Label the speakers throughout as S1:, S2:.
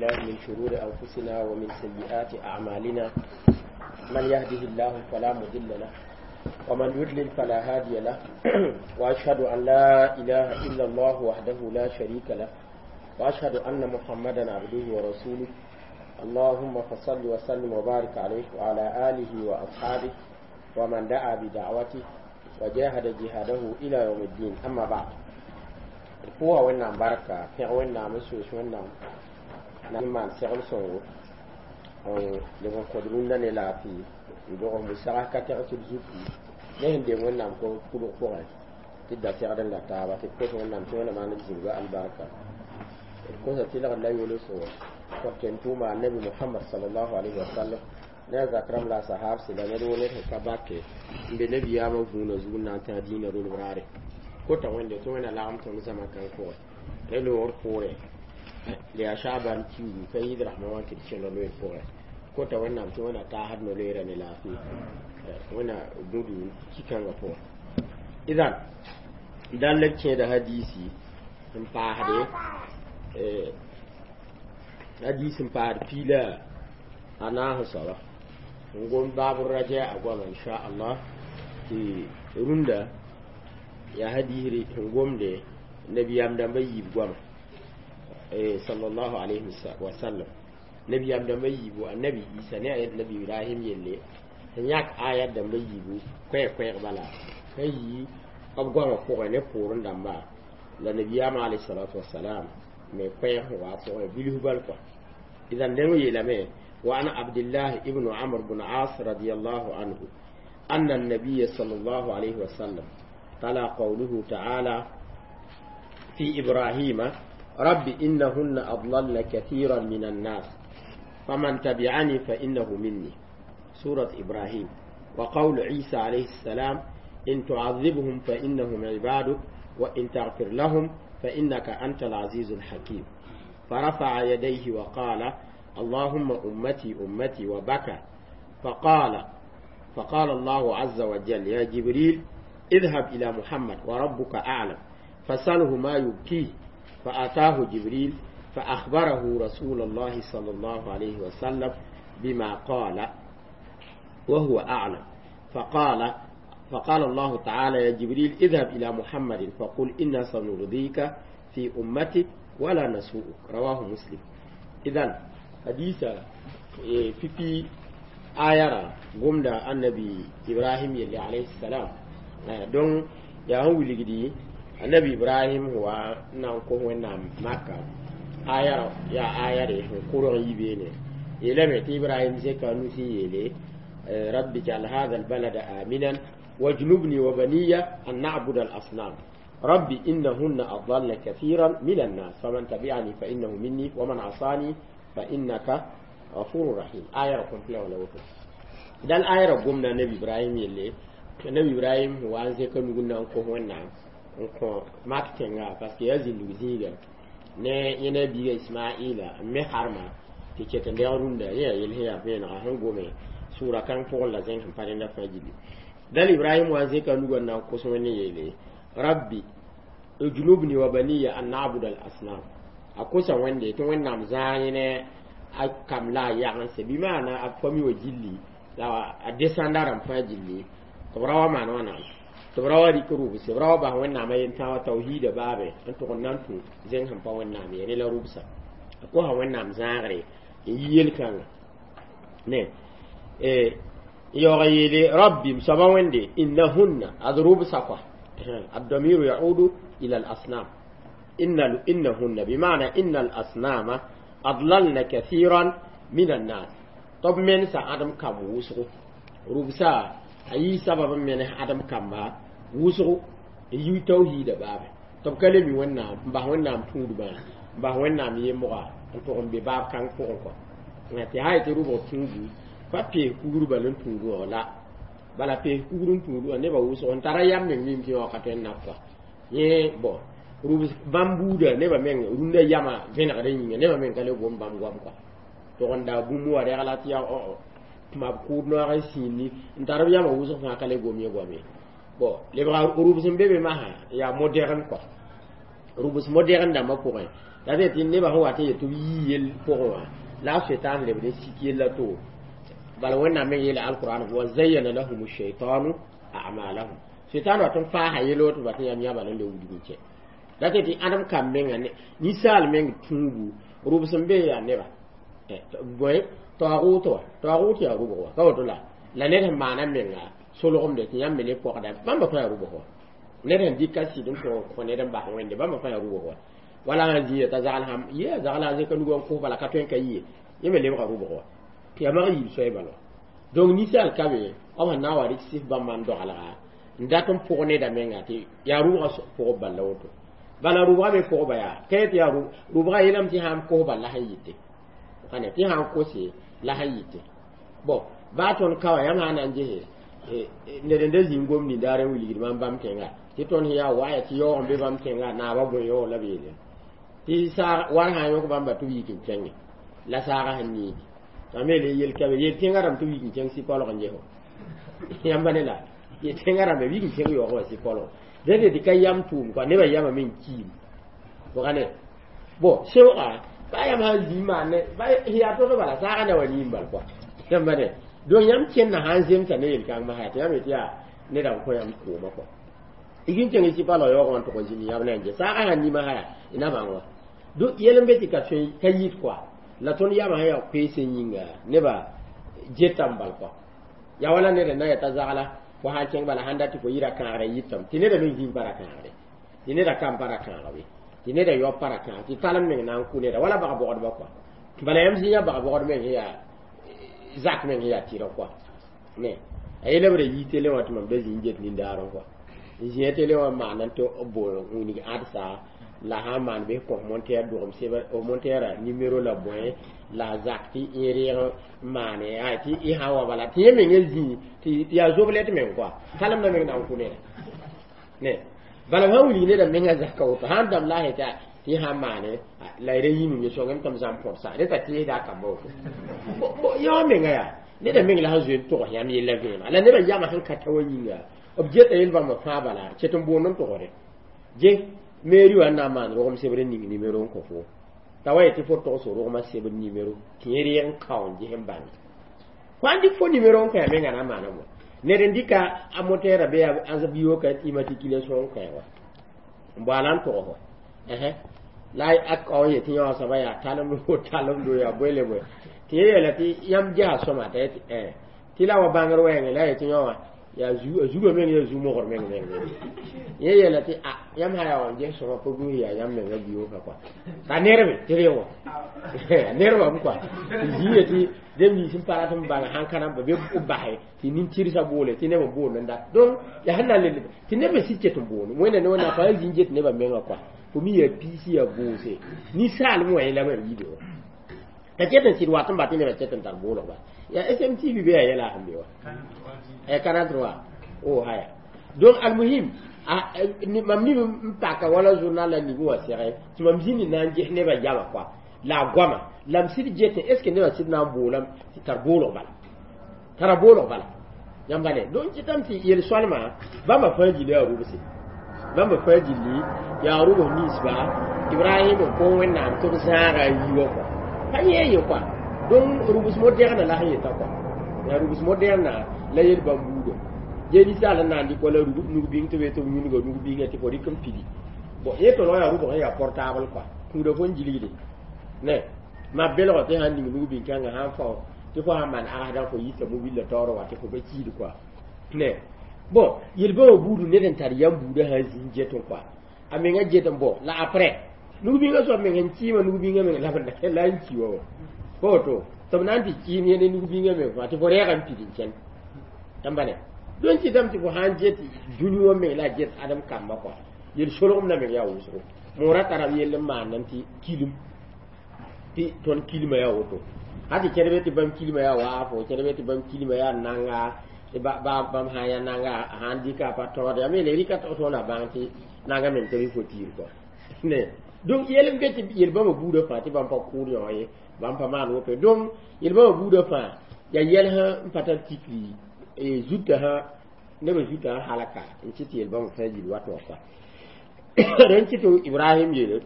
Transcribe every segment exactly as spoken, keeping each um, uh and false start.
S1: بالله من شرور أنفسنا ومن سيئات أعمالنا. من يهده الله فلا مضل له ومن يضلل فلا هادي له، وأشهد أن لا إله إلا الله وحده لا شريك له، وأشهد أن محمدا عبده ورسوله. اللهم فصل وسلم وبارك عليه وعلى آله وأصحابه ومن دعا بدعوته وجاهد جهاده إلى يوم الدين. أما بعد، pʋʋsa Wẽnnaam barka, pẽg Wẽnnaam n soos Wẽnnaam na n maan segl sõngo n leb n kõd rũndã ne laafɩ n dog musag ka tɛg tɩ d zutu ne sẽn deng Wẽnnaam kʋdg pʋgẽ tɩ d da segd n la taaba tɩ d kos Wẽnnaam tɩ Wẽnnaam maan d zĩnga albarka, d kosa tɩlgd la yolsgo kõt n tʋʋma annabi Mohamad salallahu alayhi wa sallam ne a zak rãmb la a sahabse la ned wo ned sẽn ka bake n be nabiyaamã vũunã zug n na n tã dĩinã rolb raare. Kota wẽnde tɩ Wẽnna lagem tõnd zãma kãng pʋgẽ ne loogr poorẽ le yaa Shaban kiugu ka yɩɩd rasmã wã tɩ d kẽnd loeer pʋgẽ. Kota Wẽnnaam tɩ Wẽnna taasd no-loeera ne laafɩ Wẽnna gũdu ki-kãngã pʋgẽ. Idan dãn la d kẽeda hadiisi n paasde hadiis n paasd piila a naas soaba n gom baab raja a goama inchallah tɩ rũndã yaa hadisre sẽn gomde nabiyaam dãmba yiib goama sallallahu alayhi wa sallam. Nabiyaam dãmba yiibu, annabi Isa ne a nabi Ibrahim yelle sẽn yãk ayat dãmba yiibu koɛɛg-koɛɛg bala ka yi b goamã pʋgẽ ne poorẽ dãmba la nabiyaamã alayhi salatu wasalam me koɛɛg sẽn wa pʋgẽ bilf bal kɔa. Idan dẽng yeelame: وعن عبد الله ابن عمرو بن عاص رضي الله عنه أن النبي صلى الله عليه وسلم تلا قوله تعالى في إبراهيم: رب إنهن أضللن كثيرا من الناس فمن تبعني فإنه مني، سورة إبراهيم، وقول عيسى عليه السلام: إن تعذبهم فإنهم عبادك وإن تغفر لهم فإنك أنت العزيز الحكيم، فرفع يديه وقال: اللهم أمتي أمتي، وبكى. فقال فقال الله عز وجل: يا جبريل، اذهب إلى محمد وربك أعلم فسله ما يبكيه. فأتاه جبريل فأخبره رسول الله صلى الله عليه وسلم بما قال وهو أعلم. فقال فقال الله تعالى: يا جبريل، اذهب إلى محمد فقل إنا سنرضيك في أمتك ولا نسوءك. رواه مسلم. إذن حديثة في في آيارا gomda annabi Ibrahim yelle alayhi salam don ya han wilgdi annabi Ibrahim wa nan ko Wẽnnaam maka ayara ya ayare kʋrg yibeene yeelame tɩ Ibrahim zẽka nusi yeele: رب اجعل هذا البلد آمنا واجنبني وبني أن نعبد الأصنام، رب إنهن أضلن كثيرا من الناس فمن تبعني فإنه مني ومن عصاني فإنك غفور رحيم. آية رقم فلا ولا وتو دال آية رقم النبي إبراهيم يلي النبي إبراهيم هو أن زكا نقولنا أنكو هو نعم أنكو ماك تنغا parce que yazin luziga ne yene biga Ismaila me harma tɩ ket n dɛg rũndã yẽ yel sẽn yaa vẽenega sẽn gome sʋʋra kãng pʋgẽ la zẽng sẽn pa rẽnda fãa gilli. Dal Ibrahim wa zẽka nugã n na n kos Wẽnd yeele: رب اجنبني وبني أن نعبد الأصنام. A kosa Wẽnde tɩ Wẽnnaam zãag yẽne a kam la a yagense bɩ maana a fami wa gilli la a descenda rãmb fãa gilli tɩ b ra wa maan wãna tɩ b ra wa rɩk rʋbse b ra wa bas Wẽnnaamã yentã wa tawhiida baabe n tʋg n na n tũ zẽng sẽn pa Wẽnnaam ye ne la rʋbsa. A kosa Wẽnnaam zãagre n yi yel-kãnga ne yaoog yeele: رب m soaba Wẽnde, إنهن ad rʋbsa kɔa. الضمير يعود إلى الأصنام. إن إنهن بمعنى إن الأصنام أضللن كثيرا من الناس. طب من آدم كم وسغو ربسا أي سبب من آدم كم وسغو يي توحيد باب طب كلمي ونا با ونا تود با با ونا يمغا n tʋg n be baab kãng pʋgẽ kɔ tɩ hay tɩ rʋbg tũudu pa pees kugr bal n tũudu wã la bala pees kugr n tũudu wã nebã wʋsg n tara yam meng mim tɩ wã ka tõe n nab kɔa yẽ bɔn rʋbs bãmb buuda nebã meng rũndã yamã vẽnegd n yĩnga nebã meng ka le gom bãmb goam kɔa tʋg n da bũmb wa regla tɩ yaa tɩ b kʋʋd noag n sĩindi n tar b yamã wʋsg fãa ka le gom ye goam ye. Bon, lebga rʋbs n be be masã yaa moderne kɔa rʋbs moderne dãmbã pʋgẽ. La tɩ nebã sẽn wat n yet tɩ b yii yell pʋgẽ wã la a setan lebd n sik yella to bala wẽnnaam me yeela alquran wa zayyana lahum shaitanu a'malahum setan wat n faasa yelo tɩ bat yãmb yãba n le wilg n kɛ la tɩ tɩ ãdem kam menga ninsaal meng tũubu rʋbs n be yaa neba bõe taoogʋt wa taoogʋt yaa rʋbg wa ka woto la la ned sẽn maana menga solgemde tɩ yãmb me ne pɔgda bãmba fãa yaa rʋbg wa ned sẽn dɩka sɩd n tʋg n kõ ned n bas wẽnde bãmba fãa yaa rʋbg wa wala sã zĩiga t'a zagl sãm ye a zagla a zẽka nugã n kos bala ka tõe n ka yɩ yẽ me lebga rʋbg wa tɩ yaa mag yiib soay bala donc ninsaal ka be b sẽn na n wa rɩk sɩf bãmba n dogelga n dat n pʋg neda menga tɩ yaa rʋbga pʋgb bal la woto bala rʋbga me pʋgba yaa ka tɩ yaa rʋbga yeelame tɩ sãn kos bal la sẽn yɩte ane tɩ sãn kose la sẽn yɩte bon baa tõnd ka wã yãmb sã na n gese ned n da zĩig gom nindaar n wilgd mam bãmb tẽnga tɩ tõnd sẽn yaa waya tɩ yaoog n be bãmb tẽnga naabã bõe yaoog la b yeele tɩ saag war sã n yõk bãmba tɩ b yik n kẽnge la saagã sẽn niigi t'a me le yel ka be yel tẽngã rãmb tɩ b yik n kẽng sɩ-kolg n ges yãmba ne la yel tẽngã rãmba b yik n kẽng yaoog wã sɩ-kolg dẽnde tɩ ka yam tʋʋm kɔa nebã yamame n kiim bʋga ne bon sẽoogã baa yãmb sãn zĩ maan ne yaa tog bala saagã na wa niim bal kɔa yãmba ne donc yãmb kẽnna sãn zemsa ne yel-kãng masã tɩ yãmb yetɩ yaa neda n kõ yãmb kooma kɔa y n kẽng sɩ-palg yaoogã n tʋg n zĩnd yãmb na n ges saagã sãn nima sã yaa y na bãng wa donc yɛl n be tɩ ka tõe ka yɩt kɔa la tõnd yamã sẽn yaa koeesẽ yĩnga nebã getame bal kɔa yaa wala ned n na yeta zagla fo sãn kẽng bala sãn dat tɩ fo yɩ ra kãagre yɩtame tɩ neda meng zĩig pa ra kãagre tɩ neda kam pa ra kãag be tɩ neda yao pa ra kãag tɩ talem meng na n kʋ neda wala bag-bogdbã kɔa bala yãmb zĩ yã bag-bogd meng sẽn yaa zak meng sẽn yaa tɩrg kɔa ne a yela b ra yii tele wã tɩ mam da zĩ n get nindaarẽ kɔa n zĩa tele wã n maan tɩ b bool wilg ãdsa la sã n maan bɩ kõ monteer dogem sebr monteerã nimero la bõe la zak tɩ y reeg n maane tɩ y sã n wa bala tɩ yẽ meng zĩ tɩ yaa zoblɛt meng kɔa talem na meng na n kʋ neda ne bala sã wilg neda menga zaka woto sãn dãmb la a tɩ y sãn maane la y ra yĩmem ye sõngem tɩ m zãmb põdsa reta tɩɩsda a kamba woto yã menga yaa neda meng la sẽn zoe n togs yãmb yella vẽenega la nebã yamã sẽn ka ta wa yĩnga b geta yel bãmba fãa bala ket n boond n togsde ge mairie wã n na n maan rogem sebr n ning nimero n kõ fo t'a wa yetɩ fo togs rogmã sebr nimero tɩ yẽ reeg n kao n ges n bãnge fo sãn dɩk fo nimero n kõ ya menga na n maana bõ ned n dɩka a motɛɛrã bɩ a bio ka immatriculation n kõ wa n baala n togs wa la a kao n yetɩ yã wã soaba yaa talem talemdo yaa bõe le bõe tɩ yẽ yeela tɩ yãmb gesa sõma t'a yetɩ tɩ la wa bãngr wɛɛngẽ la yetɩ yã wã yaa zugã meng yaa zu-mogr meng meng yẽ yeela tɩ a yãmb sã yaa wa n ges sõma pa buus yaa yãmb menga bio-ka kɔa t'a nerbe tɩ re wã nerbame kɔa tɩ zĩ yetɩ neb nins n pa rat n bãng sãn ka na n be b basɛ tɩ nin-tɩrsã boole tɩ neb n boond n dat donc yaa sẽn na n le tɩ neb me sɩd ket n boond wẽnna ne wẽnnaam pa zĩ n get nebã menga kɔa fo mi yaa piisi yaa boose ninsaalem wã yẽla mam yiide wa t'a ket n sɩd wat n bat nebã ket n tar boolgba yaa S M T V be yaa yɛla sẽn be wa Canal trois oh haya. Donc almuhim, mam nib n paka wala journal la nig wã sɛgɛ tɩ mam zĩnd na n ges nebã yama kɔa la a goama la m sɩd getẽ est ce que nebã sɩd na n boolame tɩ tar boolg bala tara boolg bala yãmba ne. Donc kɩtame tɩ yel-sõalmã bãmba fãa gilli yaa rʋbse bãmba fãa gilli yaa rʋbs ninsba Ibrahim n kõ Wẽnnaam tɩ b zãaga a yi wã kɔa pa yẽ ye kɔa. Donc rʋbs moderne la sẽn yeta kɔa yaa rʋbs moderne la yel bãmb buuda ge ninsaal n na n dɩk wala nug-bĩng tɩ be tɩ b yũnga nug-bĩngã tɩ fo rɩk n pidi bon yẽ tõlg yaa rʋbg sẽn yaa portable kɔa kũuda fo n gilgde ne ma belg tɩ sãn ning nug-bĩn-kãngã sãn fao tɩ fo sãn maan agsdã fo yita mobile taoor wa tɩ fo pa kiid kɔa ne. Bon, yel-bãmba buudu ned n tar yam buudã sã n zĩ n get n kɔa a menga get n bõ la après nug-bĩngã soab meng n kɩɩmã nug-bĩngã meng la la n ki wa wa pa woto tɩ b na n tɩ kɩɩm yẽ ne nug-bĩngã meng fãa tɩ fo rɛɛga n pid n kẽn yãmba ne. Donc kɩtame tɩ fo sãn get dũni wã meng la a get ãdem kamba kɔa yel-solgem la meng yaa wʋsgo moorã tara b yell n maandã tɩ kilim tɩ tõnd kilmã yaa woto ha tɩ kẽdbe tɩ bãmb kilmã yaa waafo kẽdbe tɩ bãmb kilmã yaa nanga bãmb sã n yaa nanga sãn dɩka pa taood yaa me le rɩka tõnd a bãng tɩ nanga meng tɩ rɩ fo tiir kɔa ne. Donc yel n be tɩ yel-bãmba buudã fãa tɩ bãmb pa kʋʋd yõ ye bãmb pa maan woto. Donc yel-bãmba buudã fãa yaa yɛls n pa tar tikri zutã sã nebã zutã sã halaka n kɩ tɩ yel-bãmba fãa gill wat wã kɔa rẽn kɩ tɩ Ibrahim yeele.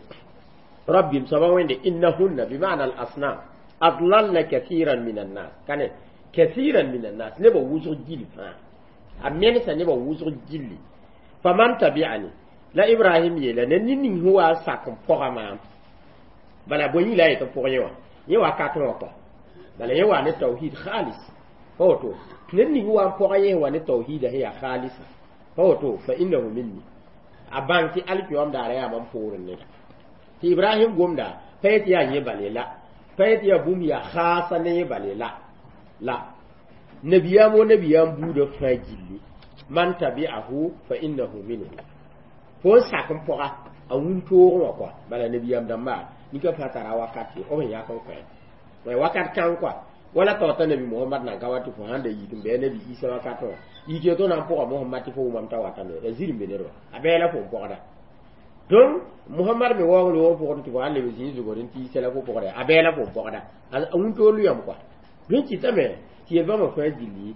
S1: Rabbi soaba wẽnde innahunna bima'na al asnam adlalna kathiran min annas kane kathiran min annas nebã wʋsg gil fãa a mensa nebã wʋsg gilli faman tabi'ani la Ibrahim yeela ne ned ning sẽn wa n sak n pɔga maam bala bõe yĩng la a yet n pʋg yẽ wã yẽ wakat wã kɔ bala yẽ wa ne tawhid khalis pa woto ned ning wa n pɔga yẽ wa ne tawhida sẽn yaa khalisa pa woto fa innahu minni a bãng tɩ alkiyoam daara yaa mam poorẽ neda tɩ Ibrahim gomda pa yetɩ yaa yẽ bale la pa yetɩ yaa bũmb yaa khaasa ne yẽ bale la la nabiyaam wo nabiyaam buudã fãa gilli man tabi'ahu fa innahu minhu fo n sak n pɔga a wũntoogẽ wã kɔa bala nabiyaam dãmba nika fãa tara wakat b sẽn yak n kõ wakat kãng kɔa wala taota nabi Muhammad nan ka wa tɩ fo sãn da yik n bɩ nabi Isa wakat wã yik tɩ na n pʋga Muhammad tɩ fo wʋmam t'a watame la zir n be nedba a bɛɛ fo n pɔgda donc Muhammad me waoong loog pʋgd tɩ fo sãn leb zĩig zugd n tɩ Isa la fo pɔgda a bɛɛ la fo n pɔgda a wũntoog lʋyame kɔa dõn kɩtame tɩ yel-bãmba fãa gilli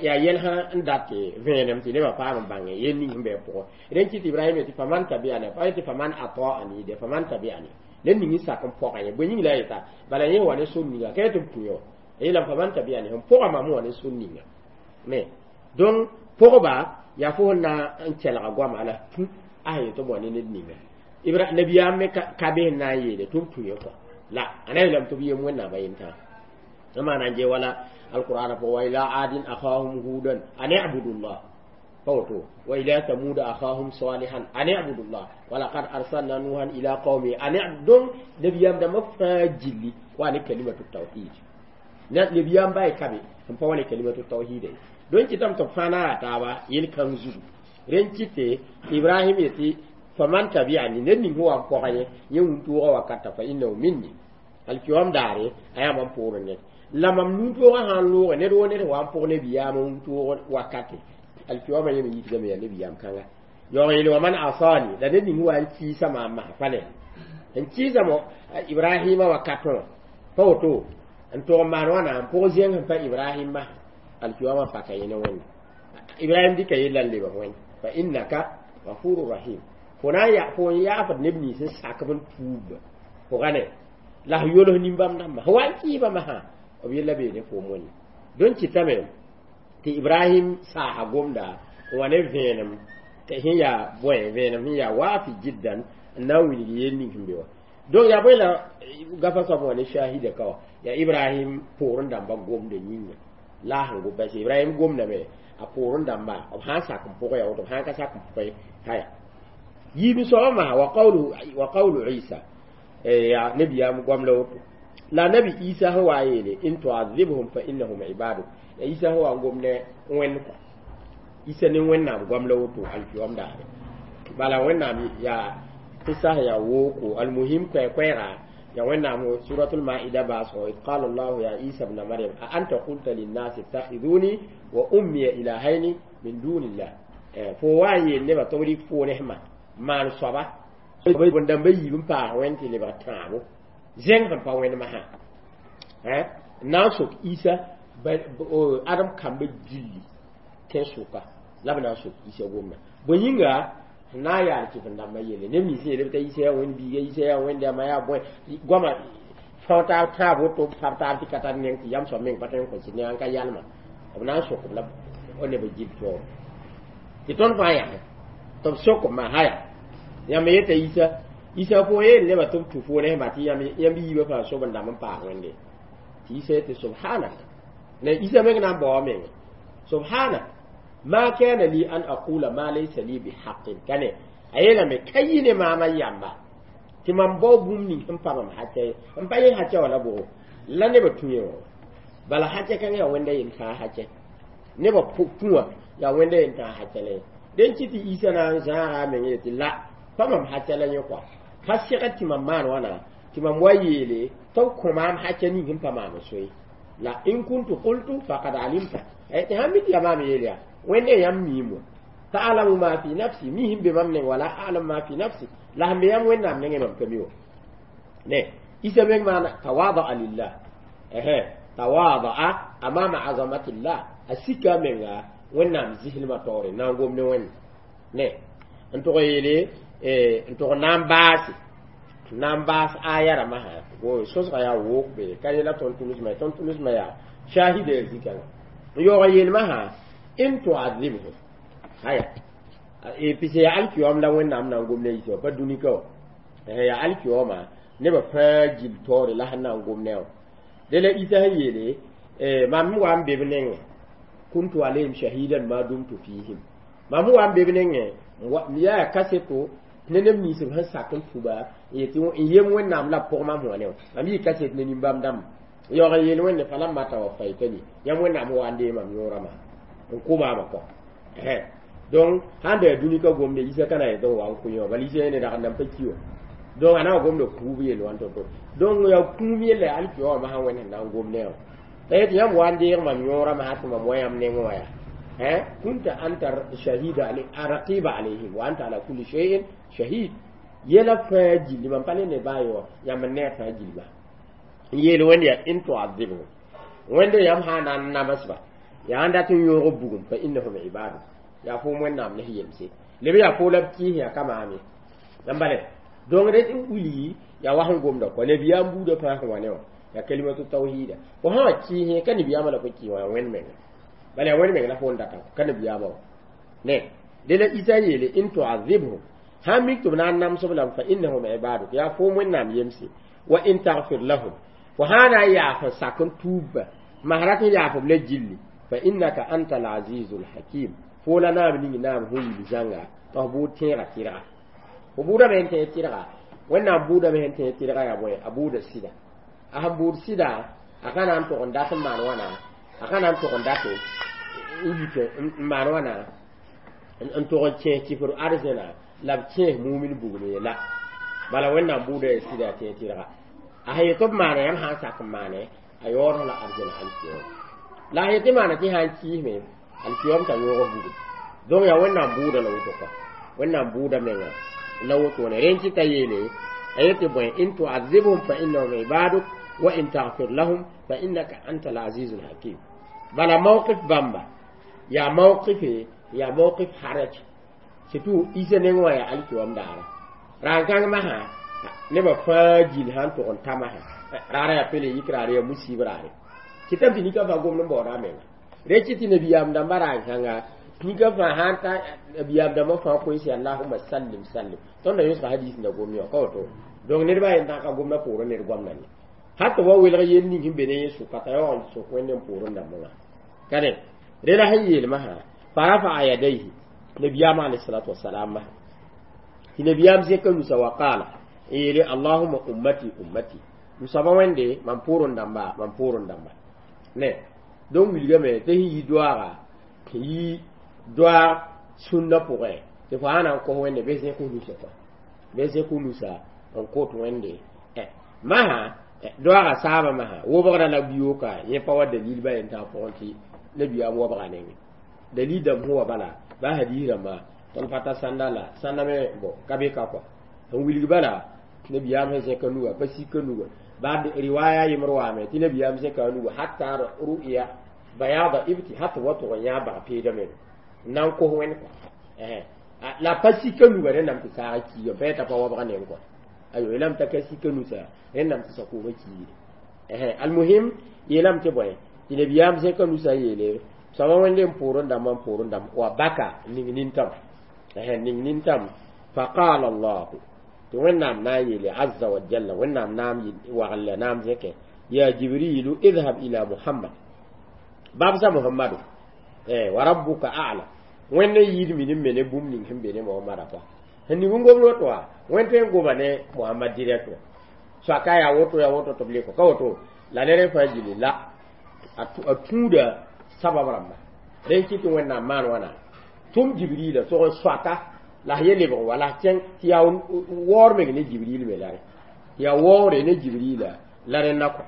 S1: yaa yɛl sã n dat vẽenem tɩ nebã paam n bãnge yel ning sẽn bɩ pʋgẽ rẽn kɩt Ibrahim tɩ faman tabi'ani pa yetɩ faman ata'ani de faman tabi'ani ned ning n sak n pɔga yẽ bõe yĩng la a yeta bala yẽ wa ne sor ninga ka yetɩ b tũ yẽ wã a yeelame faman tabi'ani sẽn pʋga mam wã ne sor ninga ne donc pʋgba yaa fo sẽn na n kelga goama la tũ a sẽn yetɩ b wa ne ned ninga Ibra nabiyaam me ka be sẽn na n yeele tɩ b tũ yẽ kɔ la a na yeelame tɩ b yem Wẽnnaamã yentãa maana n je wala alqur'ana fo wa ila adin akhahum hudan an i'budu llah فوتو وإلى ثمود أخاهم صالحا أن اعبدوا الله ولقد أرسلنا نوحا إلى قومه أن اعبدوا نبيام دم فاجلي وأن كلمة التوحيد نبيام باي كبي هم فواني كلمة التوحيد دون كتام تفانا تابا يل كنزو رين كتي إبراهيم يتي فمن تبعني نني هو أمبوغي يوم وكتا فإنه مني الكيوم داري أيام أمبورني la mam nu-toogã sã n loogẽ ned wo ned wa n pʋg nebiyaam wũntoog wakate alkiyama yẽ me yitgame yaa nebiyaam kãnga yaoog yeel wa man asani la ned ning wa n kɩɩsa maam masã pa ne n kɩɩsa mo Ibrahima wakatẽ wã pa woto n tog n maan wãna n pʋg zẽng sẽn pa Ibrahim masã alkiyama paka yẽ ne Wẽnde Ibrahim dɩka yella n lebg Wẽnd fa innaka gafuru rahim fo na n ya fo n yaafd neb nins n sakb n tuub pʋga ne la f yols nin-bãmb dãmbã sẽn wa n kɩɩba masã b yella bee ne foom wẽnde dõn kɩtame tɩ Ibrahim saasa gomda n wa ne vẽenem sẽn yaa bõe vẽenem sẽn yaa waafi jiddan n na n wilg yel ning sẽn be wã donc yaa bõe la gafa soab wã ne shahida ka wã yaa Ibrahim poorẽ dãmba gomda yĩnga la sẽn gom bas Ibrahim gomdame a poorẽ dãmba b sã n sak n pʋgẽ yaa woto b sã n ka sak n pʋgẽ haya yiib soabã masã wa qawlu wa qawlu Isa yaa nabiyaam goam la woto la nabi Isa sẽn wa yeele in tu'adhibhum fa innahum ibaduk ya Isa sẽn wa n gom ne Wẽnd kɔ Isa ne Wẽnnaam goam la woto alkiyom daare bala Wẽnnaam yaa qissa yaa wooko almuhim koɛɛ-koɛɛga ya Wẽnnaam suratul maida baasgo id qala allahu ya Isa ibn Maryam a anta qulta linnasi ittakhiduni wa ummiya ilahaini min dunillah fo wa n yeel nebã tɩ b rɩk fo nesmã maan soaba bõn-dãmba yiib n paas Wẽnd tɩ lebg tãabo zẽng sẽn pa Wẽnd masã n na n sok Isa Adem kambã gilli tẽn-sʋka la b na n sok Isa gomda bõe yĩnga n na n yaal kɩf-n-dãmbã yelle neb nins yeelb t'a Isa yaa Wẽnd biiga Isa yaa Wẽnd yama yaa bõe goama fao taab tãab woto pab taab tɩ ka tar neng tɩ yam soab meng pa tõe n kõ tɩ ne n ka yalma b na n sok-b la nebã gill toore tɩ tõnd fãa yãse tɩ b sok-b maa haya yãmb yeta Isa Isa fo yeel nebã tɩ b tũ fo nesmã tɩ yãmb yiibã fãa sob n dãmb n paas Wẽnde tɩ Isa yetɩ subhanak ne Isa meng na n bao a menga subhanak ma kana li an aqula ma laysa li bihaqqin kane a yeelame ka yɩ ne maamã yamba tɩ mam bao bũmb ning sẽn pa mam hacɛ ye n pa yẽ hacɛ wã la bʋgo la nebã tũ yẽ wã bala hacɛ kãngã yaa Wẽnda yel-tãag hacɛ nebã tũ wã yaa Wẽnda yel-tãag hacɛ la ye dẽn kɩ tɩ Isa na n zãaga a meng yetɩ la pa mam hacɛ la yẽ kɔa pa sɛgd tɩ mam maan wãna tɩ mam wa yeele tɩ b kõ maam hacɛ ning sẽn pa maam soe la in kuntu qultu faqad alimta tɩ sãn mi tɩ yaa maam yeel yaa Wẽnde yãmb miim wã ta'lamu ma fi nafsi mi sẽn be mam neng wala a'lamu ma fi nafsi la sẽn be yãmb Wẽnnaam nengẽ mam ka mi wã ne Isa meng maana tawadaa lillah ehe tawadaa amama azamatillah a sika a menga Wẽnnaam zislmã taoore na n gom ne Wẽnd ne n tʋg yeele n tʋg na n baase Nan baas aya rãmbã sã sosga yaa wok be ka yẽla tõnd tʋlsmã tõnd tʋlsmã yaa shahida ya zikãngã n yaoog n yeelmã sã in tuadhibhum aya pis yaa alkiyom la wẽnnaam na n gom ne a yisa wã pa dũni ka wã yaa alkiyoma nebã fãa gil taoore la sẽn na n gom ne wã de la isa sẽn yeele mam wa n be b nengẽ kuntu alayhim shahidan ma dumtu fihim mam wa n be b nengẽ yaa kaseto ne neb nins b sẽn sak n tʋba n yetɩ n yem wẽnnaam la b pʋg mam wã ne wã mam yɩ kaset ne nin-bãmb dãmba yaoog n yeel wẽnde falamma tawafaytani yãmb wẽnnaam wa n dee mam yõorã maa n kʋ maamã kɔ donc sãn da yaa dũni ka gomde isa ka na yetɩ n wa n kʋ yẽ wã bala isa yẽ rag n nan pa ki wã donc a na wa gomda kũub yell wã to-to donc yaa kũum yella yaa alkiya wã masã wẽnd sẽn na n gom ne wã la yetɩ yãmb wa n deeg mam yõorã masã tɩ mam wa yãmb nengẽ wã yaa كنت أنت شهيد علي رقيب عليهم وأنت على كل شيء شهيد يلا فاجل لمن قال ne bayo ya man ne fajil ba yel wen ya in tu'adhibu wende yam hana namasba ya anda tun yogo bugum fa innahum ibadu ya fo mon nam ne yemse lebe ya fo lab ki ya kama mi nambale donc ret uli ya wa han gomda ko ne biya buda fa han wane ya kalimatu tauhida ko ha ki he kan biya mala ko ki wa wen men bala wen men la fo ndata kan biya ba ne de la isa yele in tu'adhibhum ha miktub na nam soblam fa innahum ibadu ya fo mon nam yemse wa in taghfir lahum wa hana ya fa sakun tuba maharati ya fa le jilli fa innaka antal azizul hakim fola naam ning naam hu yi zanga to bu tẽega tɩrga fo buudame sẽn tẽeg tɩrga wẽnnaam buudame sẽn tẽeg tɩrga yaa bõe a buuda sɩda a sẽn buud sɩda a ka na n tog n dat n maan wãna a ka na n tog n dat n yik n maan wãna n tog n kẽes kifr arzẽna la b kẽes mumin bugum ye la bala wẽnnaam buuda yaa sɩda a tẽeg tɩrga a sẽn yet b maana yãmb sã n sak n maane a yaood la arzẽna alkiyom la a yetɩ maana tɩ sã n kiisme alkiyom t'a yõog bugum donc yaa wẽnnaam buuda la woto kɔ wẽnnaam buuda menga la woto ne rẽn tɩ yeele a yetɩ bõe in tu'adhibhum fa innahum ibaduk wa in taghfir lahum fa innaka anta al-azizul hakim bala mawqif bamba yaa mawqife yaa mawqif haraj surtout isa neng wã yaa alkiyom daara rãn-kãng masã nebã fãa gil sãn tʋg n ta masã raara yaa pele yik raare yaa musib raare kɩtame tɩ nika fãa gomd n baooda a menga re kɩ tɩ nabiyaam dãmbã rãn-kãnga nika fãa sãn ta nabiyaam dãmbã fãa koes allahuma sallim sallim tõnd na yõsga hadis na gom yã ka woto donc nedbã yen tã ka gomda poorẽ ned goamda ne hat wa welg yel ning sẽn be ne yẽ sʋka t'a yaoog n sʋk wẽnd n poorẽ dãmbã wã ka ne rela sẽn yeelmã sã farafa'a yadayhi nabiyaam alayhi salatu wasalam masã tɩ nabiyaam zẽka nusa wa qaala n yeele allahuma ummati ummati m soaba wẽnde mam poorẽ dãmba mam poorẽ dãmba ne donc wilgame tɩ sẽn yi doaaga yi doaag sũnna pʋgẽ tɩ fo sã na n kos wẽnde bɩ zẽk nusa kɔ bɩ zẽk nusa n kot wẽnde masã doaaga saabã masã wobgrã la biooka yẽ pa wa dalil ba yen tã pʋgẽ tɩ nabiyaam wobga nengẽ dalil dãmb sẽn wa bala ba hadis rãmba tõnd pa ta sãnda la sãnda me bon ka be ka kɔ n wilg bala nabiyaam sẽn zẽka nuga pa sika nuga ba riwaya yembr waame tɩ nabiyaam zẽka nuga hatta ru'ya bayada ibti hatta wa tʋg n yã bag peedame n na n kos wẽnd kɔ la pa sika nuga rẽndame tɩ saag kiiga pa yeta pa wabga neng kɔ ayo yeelame t'a ka sika nusa rẽndame tɩ sakoomã kiide almuhim yeelame tɩ bõe tɩ nabiyaam zẽka nusa n yeele soaba wẽnde n poorẽ dãmbã n poorẽ dãmb wa baka ning nintam ning nintam faqala allahu tɩ wẽnnaam na n yeele azza wa jalla wẽnnaam naam wagl la naam zẽke ya jibrilu idhab ila muhammad babsa muhammadu wa rabbuka a'lam wẽnd n yiid minim me ne bũmb ning sẽn be ne mohamada kɔa sẽn ning n gomd woto wã wẽnd tõe n goma ne mohamad direct wã soaka yaa woto yaa woto tɩ b le kɔ ka woto la ne rẽ fãa gilli la a tũuda sabab rãmba rẽ kɩ tɩ wẽnnaam maan wãna tʋm jibrila tʋg n soaka la ye lebg wa la kẽng tɩ yaa waoor meng ne jibril me la rẽ tɩ yaa waoore ne jibrila la rẽnda kɔ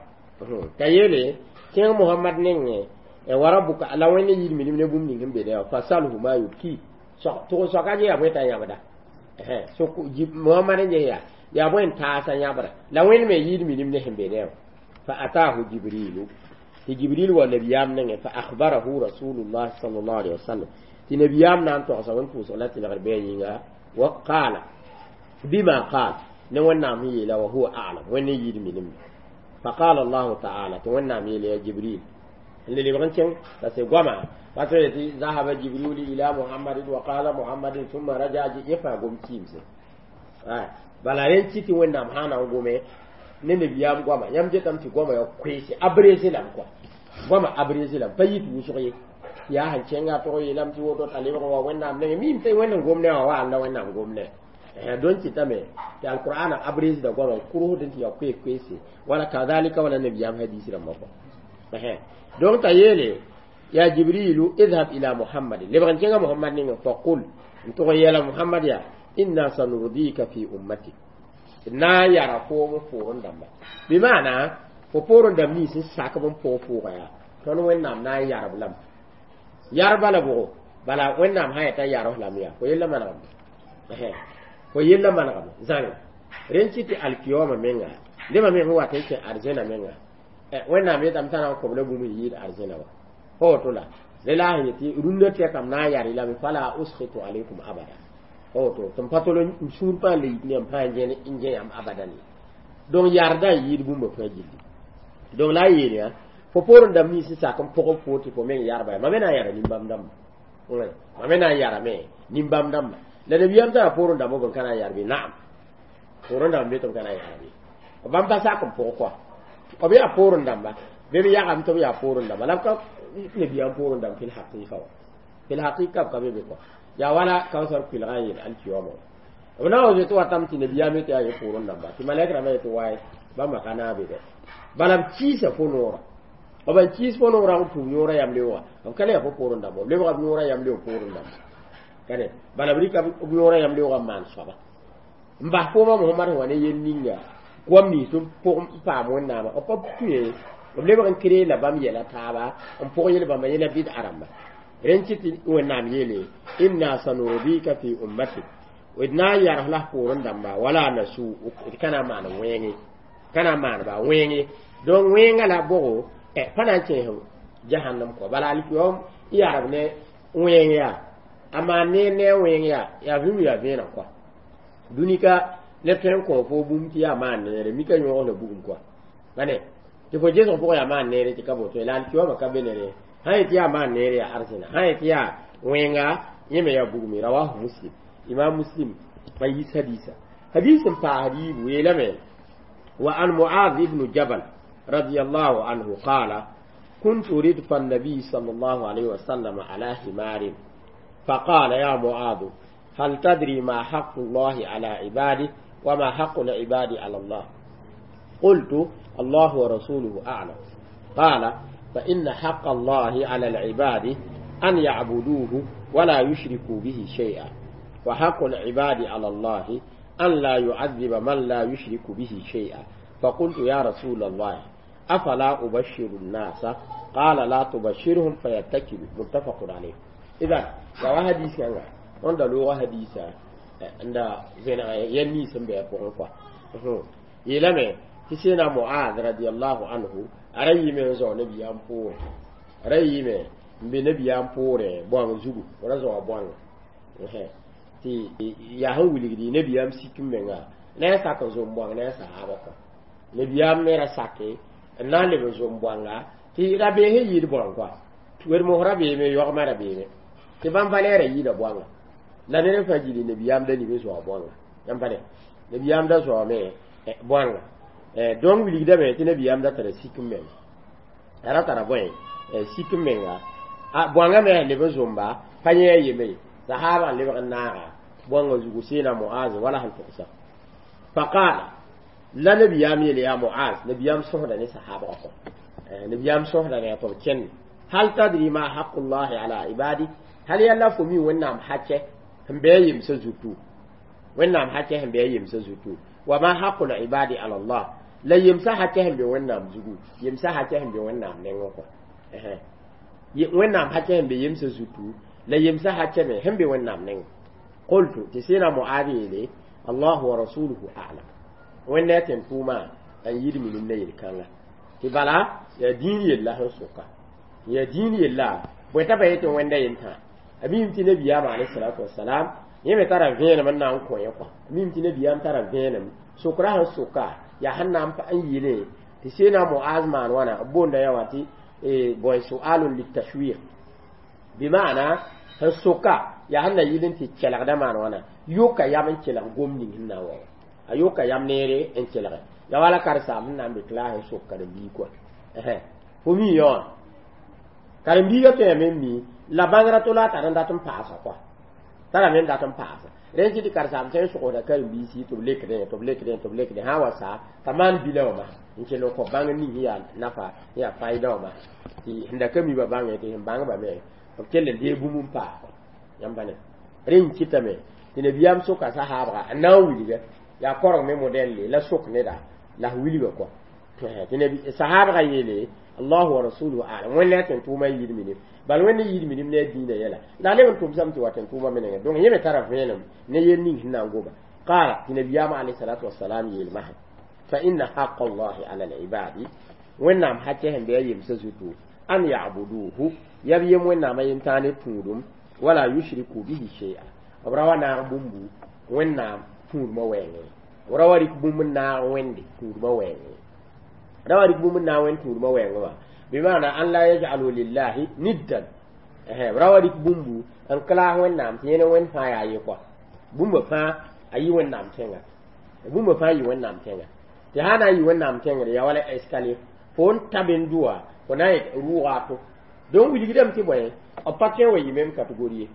S1: t'a yeele kẽng mohamad nengẽ wa rabbuka la wẽnd yid minim ne bũmb ning sẽn be ne wã fasalhu ma yubki tʋg n soaka yaa bõe t'a yãbda so mohamad n ges yaa yaa bõe n taasa yãbra la wẽnd me yid minim ne sẽn be ne wã fa atahu jibrilu tɩ jibril wa nabiyaam nengẽ fa akhbarahu rasulullah sallallahu alaihi wasallam tɩ nabiyaam na n togsa wẽn pʋʋsg la tɩlgr bɩ a yĩnga wa qaala bima qaal Ne Wẽnnaam sẽn yeela wa huwa a'lam, Wẽnd n yɩɩd minim. فقال الله تعالى tɩ Wẽnnaam yeele ya Jibril n le lebg n kẽng la sɩ goama pa tɩ tɩ ذهب جبريل إلى محمد وقال محمد ثم رجع yẽ fãa gom kiimse. Bala rẽn kɩ tɩ Wẽnnaam sã na n gome ne nabiyaam goama, yãmb getame tɩ goama yaa koeese abrégé lame kɔa, goama abrégé lame pa yit wʋsg ye. Yaa sẽn kẽnga tog yeelame tɩ woto t'a lebg n wa Wẽnnaam nengẽ mim tɩ Wẽnd n gom ne wã wa la Wẽnnaam gom ne don kɩtame tɩ alqur'ana abrégé da goama kurusd tɩ yaa koees koeese wala kadhalika wala nabiyaam hadis rãmbã kɔa. Donc t'a yeele ya Jibrilu اذهب إلى محمد, lebg n kẽnga Muhammad ninga, فقل n tʋg n yeela Muhammad ya إنا سنرضيك في أمتك, na n yara foom f poorẽ dãmba, bɩ maana fo poorẽ dãmb nins n sakb n pʋg pʋʋga yaa tõnd Wẽnnaam na n yarb lame yarba la bʋgo. Bala Wẽnnaam sã yetã yarb lame yaa fo yella manegame, fo yella manegame zãnge rẽn kɩ tɩ alkiyoma menga nebã me sẽn wat n kẽ arzẽna menga Wẽnnaam yetame t'a na n kõb la bũmb n yɩɩd arzẽna wa fa woto la re la sẽn yetɩ rũndã tɛkame na n yar lame فلا أسخط عليكم أبدا fa woto tɩ m pa tol n sũur pãa le yit ne m pãa n gẽ yãmb abadan ye. Donc yarda n yɩɩd bũmba fãa gilli. Donc la a yeel yã fo poorẽ dãmb nins n sak n pʋg fo tɩ fo meng yarba ya ma me na n yara nin-bãmb dãmba, ma me na n yarame nin-bãmb dãmba la nabiyaam tara poorẽ dãmb b n ka na n yarbe. Naam, poorẽ dãmb be tɩ b ka na n yarbe, bãmb pa sak n pʋg kɔa b yaa poorẽ dãmba bɩ b yagame tɩ b yaa poorẽ dãmba la b ka nabiyaam poorẽ dãmb في الحقيقة wa في الحقيقة b ka be be kɔa yaa wala kawsar kuilgã n yeel alkiyoma b na wa zoe tɩ watame tɩ nabiyaam tɩ yaa ye poorẽ dãmba tɩ malɛk rãmbã yetɩ waye bãmba ka naag be dɛ. Bala b kiisa fo noora, b n kiis fo noorã n tũub yõorã yam leooga b ka le yaa fo poorẽ dãmba, b lebga b yõorã yam leoog poorẽ dãmba kane. Bala b rɩka b yõorã yam leoogã n maan soaba n bas fooma Mohamad sẽn wa ne yel ninga goam nins tɩ pʋg n paam Wẽnnaamã b pa tũ b lebg n kree la bãmb yɛla taaba n pʋg yel bãmba yẽla bɩd a rãmba. Rẽn kɩ tɩ Wẽnnaam yeele إنا سنرضيك في أمتك d na n yarg la poorẽ dãmba ولا نسوء d ka na n maan wẽenge ka na n maan ba wẽenge. Donc wẽnga la bʋgo pa na n kẽes jahannam kɔ. Bala alkiyom yarb ne wẽng yaa a maan neer ne a wẽng yaa yaa vĩum yaa vẽeneg kɔa dũni ka neb tõe n kõ fo bũmb tɩ yaa maan neere mika yõog la bugum kɔa bane tɩ fo gesg pʋgã yaa maan neere tɩ ka boto la alkiyoma ka be nere sã yetɩ yaa maan neere yaa arzẽna sã yetɩ yaa wẽnga yẽ me yaa bugme. رواه مسلم, imam Muslim pa yis hadisa. Hadis n paasd yiibu yeelame وعن معاذ بن جبل رضي الله عنه قال كنت ردف النبي صلى الله عليه وسلم على حمار فقال يا معاذ هل تدري ما حق الله على عباده وما حق العباد على الله؟ قلت الله ورسوله أعلم. قال فإن حق الله على العباد أن يعبدوه ولا يشركوا به شيئا وحق العباد على الله أن لا يعذب من لا يشرك به شيئا. فقلت يا رسول الله أفلا أبشر الناس؟ قال لا تبشرهم فيتكلوا. متفق عليه. إذا لو حديث كان عند لغة حديثة عند زين يني سنبه بقى يلمه تسينا معاذ رضي الله عنه أرأي من زو نبي أمبور أرأي من be nabiyaam poorẽ bõang zugu ra zoa bõanga tɩ yaa sẽn wilgdi nabiyaam sik n menga ne a sak n zom bõang ne a sahaaba kɔ nabiyaam me ra sake n na n leb n zom bõanga tɩ rabees n yɩɩd bõang kɔa wedmos rabeeme yogmã rabeeme tɩ bãmb pa neera yɩɩda bõanga la ned n fãa gilli nabiyaam da ning n zoa bõanga yãmb pa ne nabiyaam da zoame bõanga. Donc wilgdame tɩ nabiyaam da tara sik n menga a ra tara bõe sik n menga a bõanga me leb n zomba pa yẽ a yeme ye sahaba n lebg n naaga bõanga zugu seena Moaz wala sẽn togsa فقال la nabiyaam yeele yaa Moaz nabiyaam sõsda ne sahabgã kɔ nabiyaam sõsda ne tɩ b kẽnd هل تدري ما حق الله على عباده hal yalla fo mi Wẽnnaam hakɛ sẽn bɩ a yemsã zutu Wẽnnaam hakɛ sẽn bɩ a yemsã zutu وما حق العباد على الله la yemsã hakɛ sẽn be Wẽnnaam zugu yemsã hakɛ sẽn be Wẽnnaam nengẽ kɔ Wẽnnaam hakɛ sẽn be yemsã zutu la yemsã hakɛ me sẽn be Wẽnnaam nengẽ. قلت tɩ sẽna Moaad yeele الله ورسوله أعلم Wẽnd a tẽn tʋʋmã n yɩɩd minim ne yel-kãnga tɩ bala yaa dĩin yella sẽn soka yaa dĩin yella bõe t'a pa yetɩ Wẽnda yentã a mim tɩ nabiyaam عليه الصلاة والسلام yẽ me tara vẽenem n na n kõ yẽ kɔa mim tɩ nabiyaam tara vẽenem. Sokra sẽn soka yaa sẽn na n yeele tɩ seena Muaz maan wãna b boonda ya wã tɩ bõe sualun litashwiq bɩmaana sẽn soka yaa sẽn na yɩl n tɩ kelgda maan wãna yoka yam n kelg gom ning sẽn na n wa wã a yoka yam neere n kelge ya wala karsaam sẽn na n be klaas n sok karen-biig kɔa fo mi yã wã karen-biigã tõeme n mi la bãngrã to la a tar n dat n paasa kɔa tara me n dat n paasa rẽn tɩ tɩ karsaam tõe n sogsda karen-biisi tɩ b lekdẽ tɩ b lekdẽ tɩ b lekdẽ sã n wa sa t'a maan bila wã masã n kell n kõ bãng ning sẽn yaa nafa sẽn yaa faɩda wã masã tɩ sẽn da ka mi ba bãngẽ tɩ sẽn bãngba me b kell n dee bũmb n paas yãmb pa ne rẽ n kɩtame tɩ nabiyaam soka sahaabga n na n wilga yaa koreng me modɛlle la sok neda la wilga kɔa tɩ nabi sahaabga yeele allahu wa rasuluhu alam wẽnd la tẽn tʋʋma n yid minim bal wẽnd n yid minim ne a dĩinã yɛla la a leb n tʋmsame tɩ wa tẽn tʋʋma menengẽ donc yẽ me tara vẽenem ne yel ning sẽn na n goma qaala tɩ nabiyaamã alayhi salatu wasalam yeelmasã fa inna haqa allahi ala alibadi wẽnnaam hakɛ sẽn be a yemsã zutu an yabuduhu yab yem wẽnnaamã yentãag ne tũudum wala yushriku bihi shay'a b ra wa naag bũmbu wẽnnaam tũudmã wɛɛngẽ b ra wa rɩk bũmb n naag wẽnde tũudmã wɛɛngẽ ra wa rɩk bũmb n naag wẽnd tũudmã wɛɛngẽ wã bimana an la yaj'alu lillahi niddan b ra wa rɩk bũmbu n klaas wẽnnaam tɩ yẽne wẽnd fãa yaa ye kɔa bũmba fãa a yɩ wẽnnaam tẽnga bũmba fãa yɩ wẽnnaam tẽnga tɩ sã na n yɩ wẽnnaam tẽngre yaa wala escalier fo n ta ben-dʋa fo na n rʋʋga to donc wilgdame tɩ bõe b pa tõe n wa yɩ même catégorie ye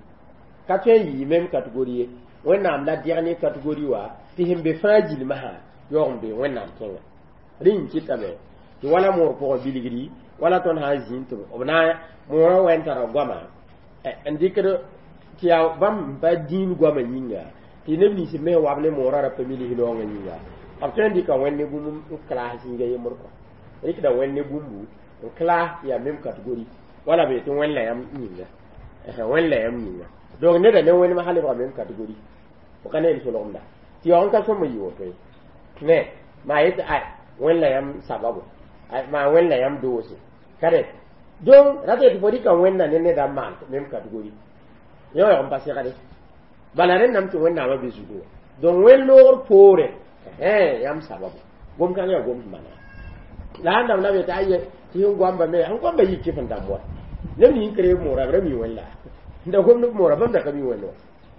S1: ka tõe n yɩ même catégorie ye wẽnnaam la dernier catégorie wã tɩ sẽn be fãa gilmsã yaoog n be wẽnnaam tẽnga rẽ n kɩtame tɩ wala moor pʋgã bilgri wala tõnd sã n zĩnd tɩ b na moorã wɛ n tara goama n dɩkd tɩ yaa bãmb n pa dĩin goamã yĩnga tɩ neb nins me wab ne moorã ra pa milis raoongã yĩnga b tõe n dɩka wẽnd ne bũmb n klaas zĩiga yembr kɔa rɩkda wẽnd ne bũmbu n klaas tɩ yaa même catégorie wala be tɩ wẽnd la yãmb yĩnga wẽnd la yãmb yĩnga donc neda ne wẽndmã sã lebga même catégorie fo ka ne yel solgemda tɩ yaoog n ka sõm n yɩ woto ye ne maa yetɩ ay wẽnd la yãmb sababo maa wẽnd la yãmb doose ka rẽ donc rata tɩ fo rɩka wẽnda ne neda n maan même catégorie yõ yaoog n pa segde bala rẽndame tɩ wẽnnaamã be zugu wã donc wẽnd loogr poore yãmb sababo gom-kãng yaa gom mana la sãn dãmb la be tɩ aye tɩ sẽn goamba me sẽn goamba yik kɩf n dãmb wa neb ning kre moora b ra mi wẽnda da gomd moora bãmb da ka mi wẽnd wa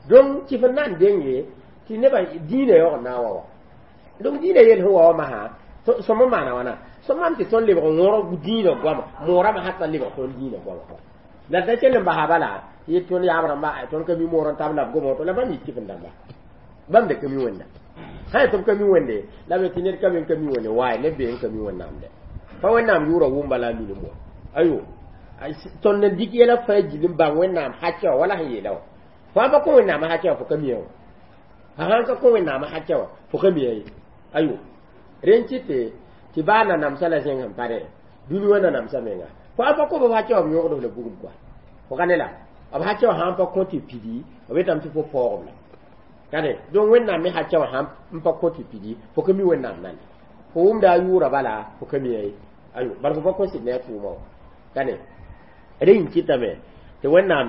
S1: donc kɩf n na n denge tɩ nebã dĩinã yaoog n na n wa wa donc dĩinã yel sẽn wa wã masã sõm n maana wãna sõm mam tɩ tõnd lebg n wõrg dĩinã goama moorame hata lebg tõnd dĩinã goama la d da kell n basa bala yet tõnd yaab rãmba tõnd ka mi moor n tab la b goma woto la bãmb yik kɩf n dãmba bãmb da ka mi wẽnda sã n tɩ b ka mi wẽnde la be tɩ ned ka be n ka mi wẽnde waay neb bee n ka mi wẽnnaam dɛ pa wẽnnaam yʋʋra wʋmba la a minim wa ayo tõnd n dɩk yɛla fãa gil n bãng wẽnnaam hakɛ wã wala sẽn yeela wã fo sãn pa kõ wẽnnaamã hakɛ wã fo ka mi wã fa sãn ka kõ wẽnnaamã hakɛ wã fo ka mi ye ayo rẽn kɩtɩ tɩ baa nanamsã la zẽng sẽn pa rẽ dũni wã nanamsã menga fo sãn pa kõ b hakɛ wã b yõgd la bugum kɔa fo ka ne la b hakɛ wã sãn pa kõ tɩ pidi b yetame tɩ fo paoogb la ka ne donc wẽnnaam me hakɛ wã sãn n pa kõ tɩ pidi fo ka mi wẽnnaam nane fo wʋmda a yʋʋra bala fo ka mi ye ayo bala fo pa kõ sɩd ne a tʋʋma wã ka ne rẽ n kɩtame tɩ wẽnnaam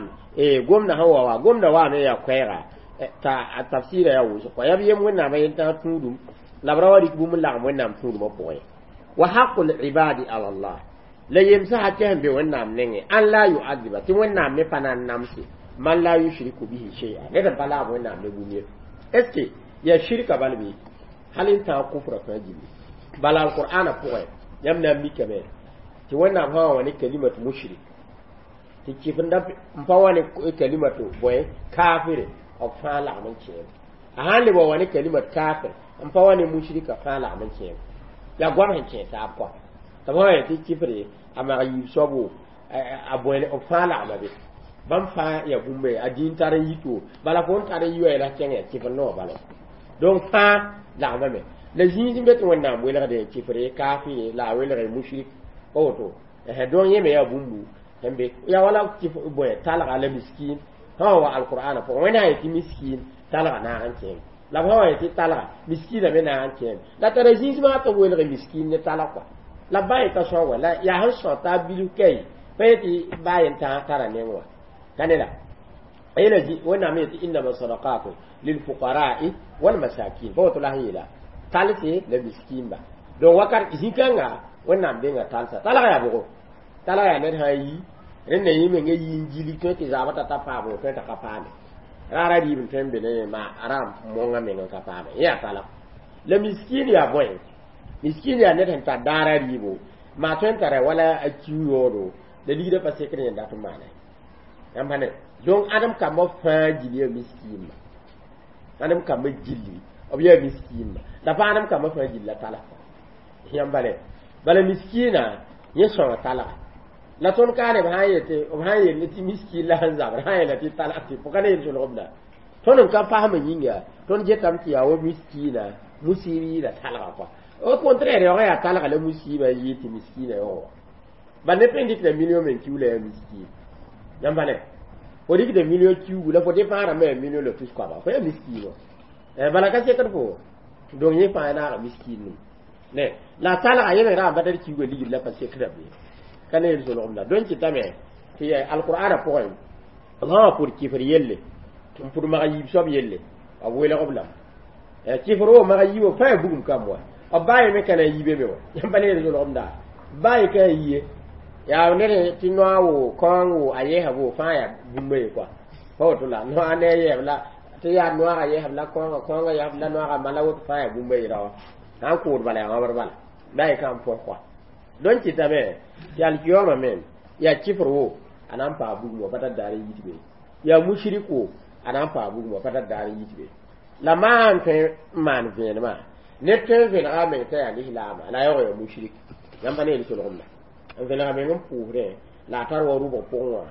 S1: gomda sẽn wa wa gomda waame yaa koɛɛga t'a a tafsɩɩra yaa wʋsg kɔa yaa b yem wẽnnaamã yentãag tũudum la b ra wa rɩk bũmb n lagem wẽnnaam tũudmã pʋgẽ wa haqu libadi ala allah la yemsã hakɛ sẽn be wẽnnaam nengẽ an la yuadiba tɩ wẽnnaam me pa na n namse man la yushriku bihi shay'a ned n pa laam wẽnnaam ne bũmb ye est ce que yaa shirka bal bɩ hal n tãag kufra fãa gilli bala alqur'ana pʋgẽ yãmb na n mikame tɩ wẽnnaam sã wã wa ne kalimat mushrik tɩ kɩfenda n pa wa ne kalimatu bõe kafire b fãa lagm n kẽem a sãn leb wa wa ne kalimat kafir n pa wa ne mushrika fãa lagm n kẽem yaa goam sẽn kẽ taab kɔa tɩ b sã tɩ kɩfre a mag yiib soabo a bõe b fãa lagma be bãmb fãa yaa bũmba a dĩin tar n yito bala fo n tar n yi wa yɛla kẽng yaa kɩfr noog bala donc fãa lagmame la zĩig n be tɩ wẽnnaam welgde kɩfre kafire la a welge mushrik pa woto donc yẽ me yaa bũmbu sẽn be yaa wala bõe talga la miskin sã wa alqur'ana pʋgẽ wẽnnaam yetɩ miskin talga naag n kẽem la b sã wa yetɩ talga miskina me naag n kẽem la tara zĩis maa tɩ b welge miskin ne talg kɔa la b ba yeta sõa wa la yaa sẽn sõa t'a bilf kai pa yetɩ baa yen tara neng wa ka ne la yela wẽnnaam yetɩ innama sadaqatu lilfuqara'i walmasakin pa woto la sẽn yeela Talse la miskimba donc wakat zĩ-kãnga wẽnnaam denga talsa talga yaa bʋgo talga yaa ned sã n yi rẽnda yẽ menga yi n gilg tõe tɩ zaabã t'a ta paam tõe t'a ka paame raara rɩɩb n tõe n be ne ma ra mõngã meng n ka paame yẽ yaa talg la miskin yaa bõe miskin yaa ned sẽn tar daara rɩɩbo maa tõe n tara wala a kiu yaoodo la ligdã pa sekd yẽ dat n maana yãmb pa ne donc ãdem kambã fãa gil yaa miskinma ãdem kambã gilli b yaa miskinma la pa ãdem kambã fãa gilla talg yãmb pa ne bala miskina yẽ sõnga talga la tõnd kaane b sã n yetɩ b sã n yell tɩ miskin la sẽn zabr sã n yeela tɩ talg tɩ pʋka ne yel-solgemda tõnd n ka pasmã yĩnga tõnd getame tɩ yaa wa miskina musiib yɩɩda talga kɔa au contraire yaoogã yaa talga la musiiba n yɩɩ tɩ miskina yaoog wa ba neb tõe n dɩkda million me n kiu la yaa miskin yãmb pa ne fo dɩkda million kiugu la fo dépend rãmbã yaa million la tus koaba fo yaa miskin wa bala ka sekd fo donc yẽ fãa naaga miskin num ne la talga yẽ me ra n badar kiuga ligd la pa sekda be ka ne yel-solgemda donc kɩtame tɩ alqur'ana pʋgẽ b sã wã pʋd kɩfr yelle n pʋd mag yiib soab yelle b welg b lame kɩfr wo mag yiibã fãa yaa bugum kamb wa b baa ye me ka na n yibe me wa yãmb pa ne yel-solgemda baa ye ka n yiye yaa ned tɩ noa wo kaoong wo a yɛɛsa bo fãa yaa bũmba ye kɔa pa woto la noa ne a yɛɛb la tɩ yaa noaga yɛɛsb la kaoongã kaoongã yɛsb la noaga mala woto fãa yaa bũmba ye raoã sã n kʋʋd bala yaa wãbr bala baa ye ka n pɔs kɔa donc kɩtame tɩ alkiyoma me yaa kɩfr wo a na n paa bugum wa pa tar daar n yit be yaa mushrik wo a na n paa bugum wa pa tar daar n yit be la maan tõe n maan vẽenemã ned tõe n vẽnega a meng t'a yaa lislaama la a yaoog yaa mushrik yãmb pa ne yel-solgemda n vẽnega meng n pʋʋsdẽ la a tar wa rʋbg pʋgẽ wã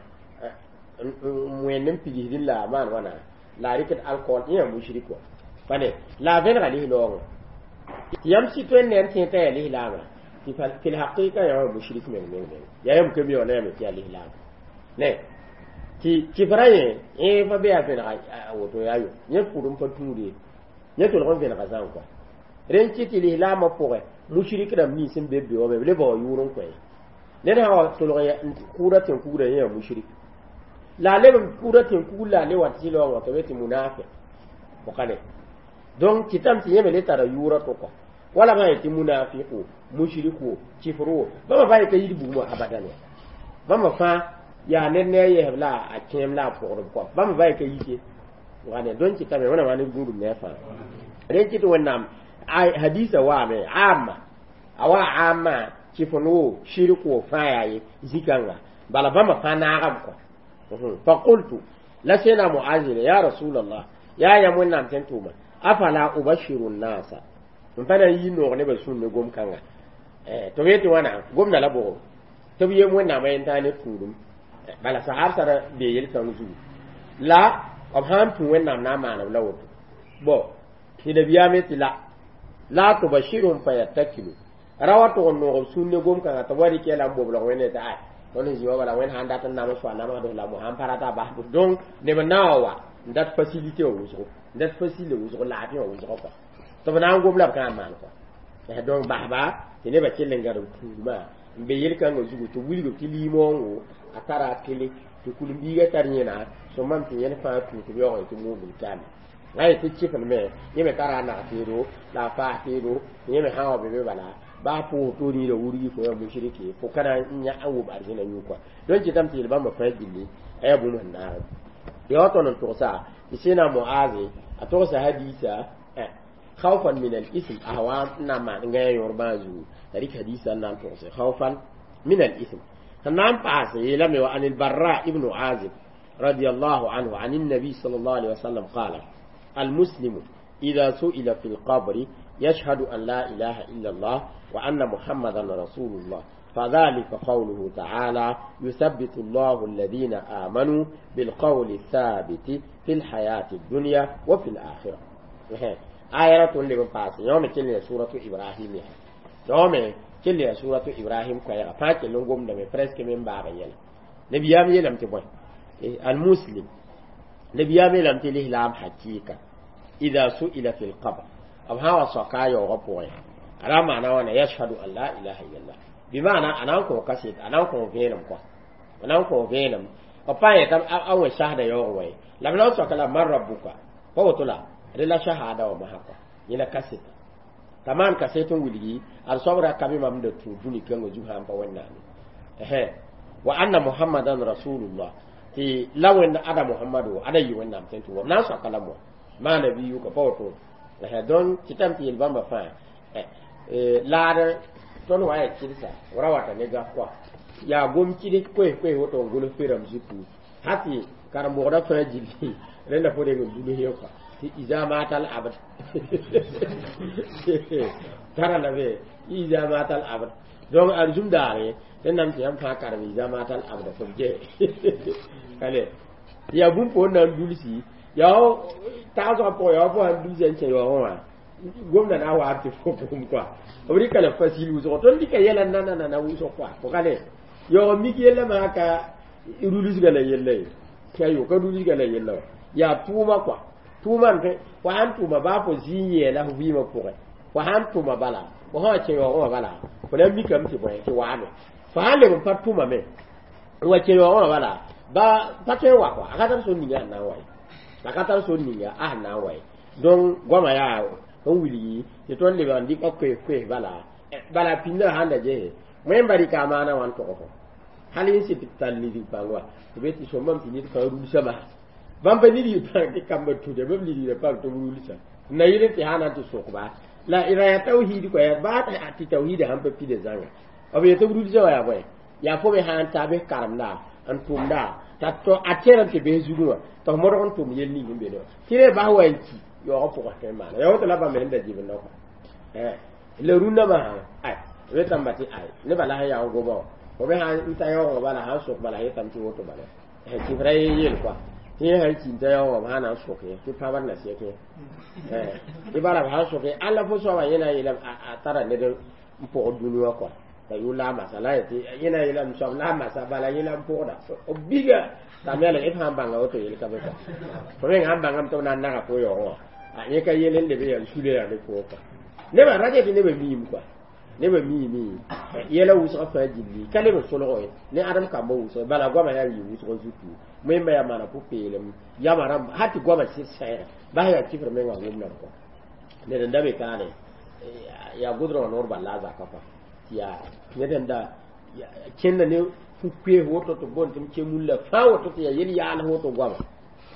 S1: n wẽnd n pigsdẽ la a maan wãna la a rɩkd alcool yẽ yaa mushrik wa pa ne la a vẽnega lislaoongã tɩ yãmb sɩ tõe n ne n tẽ t'a yaa lislaama tɩ fil haqiqa yaa mushrik meng meng meng yaa yãmb ka mi wã la yame tɩ yaa lislaama ne tɩ kɩfra yẽ yẽ pa be yaa vẽnega woto yaa yo yẽ pʋd n pa tũude yẽ tolg n vẽnega zãn kɔa rẽn kɩ tɩ lislaamã pʋgẽ mushrik rãmb nins n be b be wã me b le bao yʋʋr n kõ ned sã wa tolg n kʋʋda tẽn-kugrã yẽ yaa mushrik la a leb n kʋʋda tẽn-kugr la a le wa tɩ sɩ-laoongã tɩ be tɩ munafiq bʋka ne donc kɩtame tɩ yẽ me le tara yʋʋra to kɔa wala bã yetɩ munafiq wo mushrik wo kɩfr wo bãmba fãa yeka yid bugmã abadan wa bãmba fãa yaa ned ne a yɛsb la a kẽem la a pʋgdb kɔa bãmba fãa yeka yike wã donc kɩtame wẽnnaam wa ned gũudum ne a fãa rẽn kɩ tɩ wẽnnaam hadisa waame amma a wa amma kɩfn wo shirk wo fãa yaa ye zĩ-kãnga bala bãmba fãa naagame kɔa فقلت la sena muazile ya rasulallah yaa yãmb wẽnnaam tẽn tʋʋma afala ubashiru nnasa n pa na n yi noog nebã sũur ne gom-kãnga tɩ b yetɩ wãna gomda la bʋgo tɩ b yem wẽnnaamã yẽn-tãag ne tũudum bala sahab sara bee yel-kãng zugu la b sã n tũ wẽnnaam na n maan b la woto bõ tɩ nabiyaam tɩ la la tubashirhum fayattakilu ra wa tʋg n noog b sũur ne gom-kãngã tɩ b wa rɩk yɛla n boblg wẽnde tɩ ay tõnd sẽn zĩ wa bala wẽnd sã n dat n nams soa namsd la mo sãn pa rata bas donc neb n na wa wa n dat facilité wã wʋsgo n dat facile wʋsgo laafɩ wã wʋsgo kɔa tɩ b na n gom la b ka n maan kɔa donc basba tɩ nebã kell n gãd b tũudmã n be yel-kãngã zugu tɩ wilg tɩ liimoongo a tara a tele tɩ kul-biigã tar yẽna sõmam tɩ yẽl fãa tũ tɩ b yaoog tɩ muubl taame a yetɩ kɩfn me yẽ me tara a nag teedo la a faas teedo yẽ me sã n wa be be bala baa pʋʋs to niida wurgi fo yaa mushriki fo kana n yã n wʋm arzẽna yũ kɔa donc kɩtame tɩ yel bãmba fãa gilli a yaa bũmb sẽn naag ya wa tõnd n togsa tɩ sẽna moaze a togsa hadisa خوفا من الإثم أهوام نعم نغاية يوربان زو تاريخ حديثا نعم تغسي خوفا من الإثم نعم پاس يلم عن البراء ابن عازب رضي الله عنه عن النبي صلى الله عليه وسلم قال المسلم إذا سئل في القبر يشهد أن لا إله إلا الله وأن محمدا رسول الله فذلك قوله تعالى يثبت الله الذين آمنوا بالقول الثابت في الحياة الدنيا وفي الآخرة آية لمن باس يوم كل سورة إبراهيم يوم كل سورة إبراهيم كويرا فاك لنقوم دم presque من بابا يلا نبي يام يلم تبوي المسلم نبي يام يلم تليه لام حقيقة إذا سئل في القبر أم هوا سقايا وغبوي على معنى وانا يشهد أن لا إله إلا الله بمعنى أنا أنكو كسيت أنا أنكو فينم كو أنا أنكو فينم وباية تم أول شهادة يوغوي لما نوصل كلا من ربك فهو طلع rela shahada wa mahakwa yẽla kaseta T'a maan kaset n wilgi ad soab ra ka be mam da tũ dũni kãngã zug sã n pa Wẽnnaam wa anna Muhammadan rasulullah, tɩ la Wẽnd ada Muhammado ada yɩ Wẽnnaam sẽn tʋ wam na n soaka la moa maa nabiyuka pa woto. Donc tɩtame tɩ yel bãmba fãa laad tõnd wa yaa kɩdsa ra wata ne gaf kɔa yaa gom kɩds koes koes woto n gʋls perame zutu ha tɩ karen-bʋgda fãa gilli rẽnda fo reng n dulus ye kɔa tɩ iza matal abd tara la be iza matal abd. Donc arzum daare rẽndame tɩ yãmb fãa karem iza matal abda tɩ b gɛ ale yaa bũmb fo na n dulsi yaa tagsgã pʋgẽ yaa fo sãn dulsa n kẽ yaoogẽ wã gomda na wa tɩ fo bũmb kɔa b rɩka la facile wʋsgo tõnd dɩka yɛla nananana wʋsg kɔa pʋgale yaoog mik yella maa ka rulusga la yella ye ayo ka rulusga la yella wa yaa tʋʋma kɔa tʋʋma n tõe fo sãn tʋʋma baa fo zĩ n yɛɛla fo vɩɩmã pʋgẽ fo sãn tʋma bala fo sã wa kẽ yaoogẽ wã bala fo na n mikame tɩ bõe tɩ waame fo sãn leb n pa tʋma me n wa kẽ yaoogẽ wã bala ba pa tõe n wa kɔa a ka tar sor ninga sẽn na n wa ye a ka tar sor ninga a sẽn na n wa ye. Donc goamã yaa n wilgi tɩ tõnd lebg n dɩka koes koes bala bala pĩndã sãn da gese wẽmba rɩka a maana wã n tog fo hal n sɩd tɩ tall lisg pãng wa tɩ be tɩ sõmbame tɩ ned fãa rulsã masã bãmb pa ned yɩ pãng tɩ kambã tuda bãmb ligra pãng tɩ b rulsã n na yɩl tɩ sã na n tɩ sokba la ra yaa tawhiid kɔa baa tɩ tawhiida sãn pa pida zãnga b yetɩ b rulsã wa yaa bõe yaa fo me sã n ta bɩ karemda n tʋmda t'a a tẽrem tɩ bes zugẽ wã tɩ f modg n tʋm yel ning n be ne wã tɩ re bas wa n ki yaoogã pʋgã tõe n maana yaa woto la bãmb sẽn da gibenda kɔa la rũndã masã ay wetãmba tɩ ay nebã la sẽn yaa n goba wã fo me sãn n ta yaoogã bala sãn sok bala yetame tɩ woto bala tɩ f ra yel kɔa tɩ yẽ sãn ki n ta yaoogã b sã na n sok yẽ tɩ pãbr na sɛk yẽ tɩ bala b sãn sok yẽ alla fo soabã yẽ na n yeelame a tara ned n pʋgd dũni wã kɔa la yʋ la a masa la yetɩ yẽ na n yeelame soab la a masa bala yẽ la n pʋgda b biga t'a me la f sãn bãnga woto yel ka be kɔa fo meng sãn bãngame tɩ b na n naga fo yaoogẽ wã a yẽ ka yel n leb yaa sule yaa ne pʋgẽ kɔa nebã ra tɩ nebã miime kɔa nebã miime yɛla wʋsgã fãa gilli ka leb n solgo ye ne ãdem kambã wʋsg bala goamã yaa yɩ wʋsgã zutu wẽmba yaa maana pʋ-peelem yama rãmb hal tɩ goamã sɩd sɛɛga bas yaa kifr mengã wʋmdame kɔa ned n da be kaane yaa gʋdrgã noor bal la a zaka kɔa tɩ yaa ned n da kẽnda ne fu-koees woto tɩ boond tɩ m ke mulla fãa woto tɩ yaa yel yaals woto goama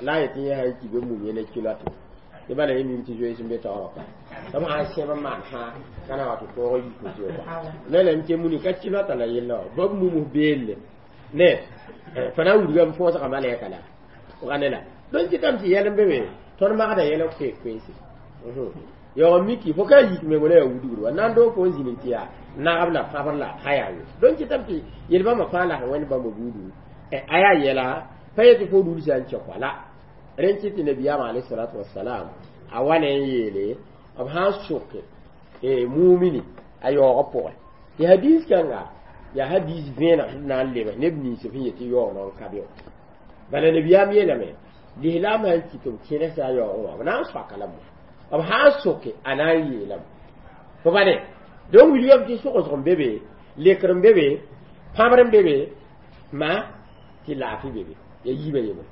S1: la a yetɩ yẽ sã n ki be mum yẽna kilɔte tɩ bala yẽ mim tɩ zoees n be taoorã kɔa tɩ b sãn sẽb n maan fãa ka na wa tɩ toog yik zoe kɔa la la m ke muni ka kilɔta la yella wã bab mumus beelle ne fo na n wilgame fõosga malɛka la ne la donc tɩtame tɩ yɛl n be me tõnd magda yɛl n koees koeese yaoog miki fo ka yik meng la yaa wudgr wa na n doog fo n zĩnig tɩ yaa nagb la pãbr la pa yaa ye donc tɩtame tɩ yel bãmba fãa la sẽn wẽnd bãmba buudu a yaa yɛla pa yetɩ fo rulsã n kẽ kɔa la rẽn kɩ tɩ nabiyaamã alayhi wasalam a wa ne n yeele b sã n soke mumini a yaoogã pʋgẽ tɩ hadis kãnga yaa hadis vẽeneg sẽn na n leb neb nins sẽn yetɩ yaoog non ka be bala nabiyaam yeelame lislaam sãn kɩ tɩ b kẽnesa a yaoogẽ wã b na n soaka la mo b sã n soke a na n yeelame fo ba ne donc wilgame tɩ sogsg n be be lekr n be be pãbr n be be ma tɩ laafɩ be be yaa yiibã yembre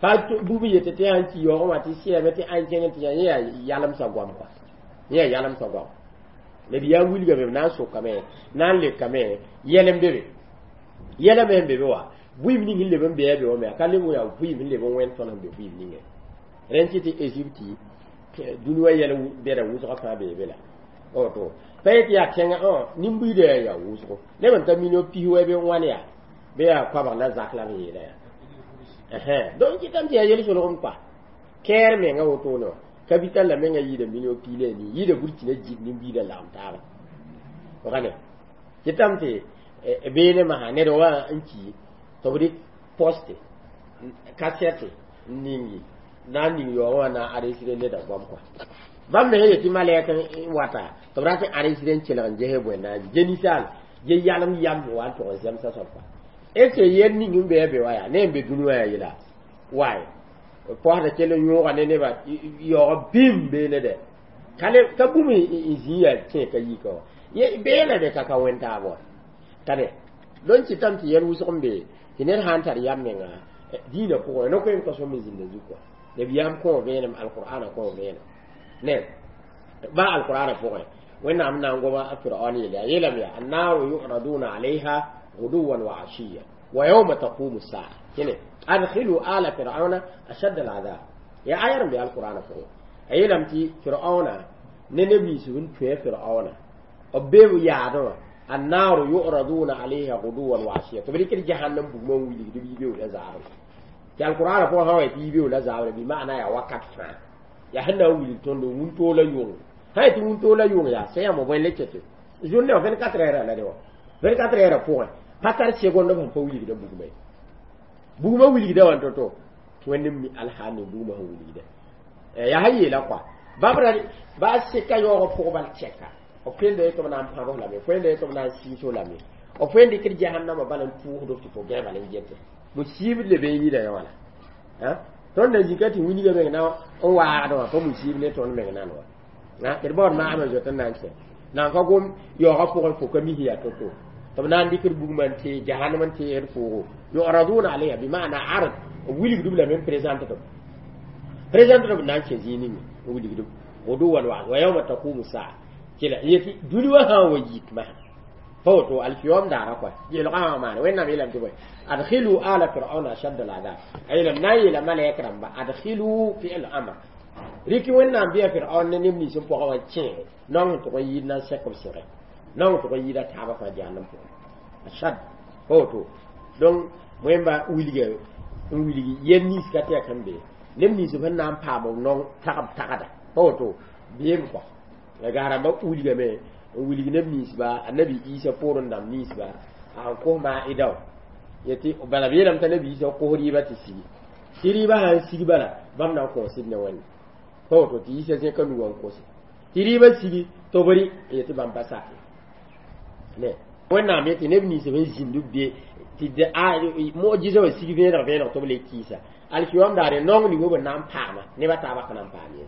S1: pa bũmb yetɩ tɩ sãn ki yaoogẽ wã tɩ sɛɛme tɩ ãn kẽng tɩ yã yaa yalemsã goam kɔa yẽ yaa yalemsã goam nabiyaam wilgame b na n sokame na n lekame yɛl n be be yɛla me n be be wa vɩɩm ning n leb n bɩa be wã me a ka leb n yaa vɩɩm n leb n wẽnd tõnd sẽn be vɩɩm ningẽ rẽnd kɩ tɩ Egypte dũni wã yɛl bɛda wʋsgã fãa bee be la woto pa yetɩ yaa tẽngã nin-buiidã yaa yaa wʋsgo neb n ta million pis wɛ bɩ n wãn yaa bɩ yaa koabg la zak la b yeela yaa donc kɩtame tɩ yaa yel-solgem kɔa kɛɛr menga wotone wã capital la menga yɩɩda million pii la nii yɩɩda burkina gid nin-buiidã lagem taaba wagane kɩtame tɩ beene masã ned wã n ki tɩ b rɩk poste kasɛte n ningi na n ning yaoogẽ wã na n enregistré neda goam kɔa bãmb me sẽn yetɩ malɛk n wata tɩ b rat n enregistré n kelg n ges bõe na n ge ninsaal ge yalem yam wa n tʋg n zemsa soab kɔa est ce que yɛl ning n bɩa be wa yaa ne n be dũni wã yaa yela waay posda kell n yõoga ne nebã yaoog bĩm beene dɛ ka bũmb n zĩ yaa kẽ ka yika wã beena de ka ka wẽn taab wa ka ne donc tɩtame tɩ yɛl wʋsg n be tɩ ned sã n tar yam menga dĩinã pʋgẽ no-koeem ka sõm n zĩnda zug kɔa nabiyaam kõo vẽenem alqur'ana kõo vẽenem ne ba alqur'ana pʋgẽ Wẽnnaam na n goma a Firaon yeele a yeelame yaa annaru yuraduna alayha guduwan wa ashiya wa yawma taqumu saa kẽne adkhilu ala firauna ashadda al'adab ya ayar n be alqur'ana pʋgẽ a yeelame tɩ Firaona ne neb nins sẽn tũ Firaona b be yaadẽ wã annaru yuraduna alayha guduwan wa ashiya tɩ b rɩkd jahannam bugmã n wilgd b yibeooda zaabr tɩ alqur'ana pʋgẽ sã wa tɩ yibeooda zaabr bɩ maana yaa wakat fãa yaa sẽn na n wilg tõndo wũntoola yʋng sã tɩ wũntoola yʋng yaa sã yãmb bõe le ket journée wã vingt-quatre heures la de wã vingt-quatre heures pʋgẽ pa tar seconde sẽn pa wilgda bugmã ye bugmã wilgda wã to-to tɩ Wẽnd mi alhaal ne bugmã sẽn wilgda yaa sã yeela kɔa bãmb ra ba seka yaoogã pʋg bal tɛka b tõe n tɩ b na n pãbs lame tõe n tɩ b na n sɩɩs lame b tõe n dɩkd jahannama bala n tʋʋsd tɩ fo gã bala n gete musiib leb n yida yã wala tõnd na zĩka tɩ wilga meng na n waagd wã pa musiib ne tõnd meng nan wa d baood maasmã zoet n na n kẽ nan ka gom yaoogã pʋgẽ fo ka mis yaa to-to tɩ b na n dɩkd bugmã n tee jahannam n teesd foogo yuraduna alayha bima'na ard b wilgdb lame n présente b présente b na n kẽ zĩig ninge n wilgdb guduwan wa wa yawma taqumu saa kila yetɩ dũni wã sã n wa yik masã pa woto alkiyom daara kɔa yeelgã wã maana Wẽnnaam yeelame tɩ bõe adkhilu ala firauna ashadda al'adab a yeelame na n yeela malɛk rãmba adkhilu fi'l amr rɩk Wẽnnaam bɩa Firaon ne neb nins n pʋgã wã kẽege naong sẽn tʋg n yɩɩd na n sɛk b sɩgɛ naong tʋg n yɩɩda taabã fãa jahannam pʋgẽ ashad pa woto donc wẽmba wilga n wilgi yel nins ka tɛk sẽn be neb nins sẽn na n paam b naong tagb tagda pa woto beem kɔa la gaa rãmbã wilgame n wilg neb ninsba annabi Isa poorẽ dãmb ninsba a sẽn kos maa'ida wã yetɩ bala b yeelame t'a nabi Isa kos rɩɩbã tɩ sigi tɩ rɩɩbã sã n sig bala bãmb na n kõosd ne Wẽnde pa woto tɩ Isa zẽka nugã n kose tɩ rɩɩbã sigi tɩ b rɩ n yetɩ bãmb pa sak ne Wẽnnaam yetɩ neb nins sẽn zĩnd b be tɩ mujiza wã sig vẽeneg vẽeneg tɩ b le kɩɩsa alkiyom daare naong ning b na n paama nebã taabã ka na n paam ye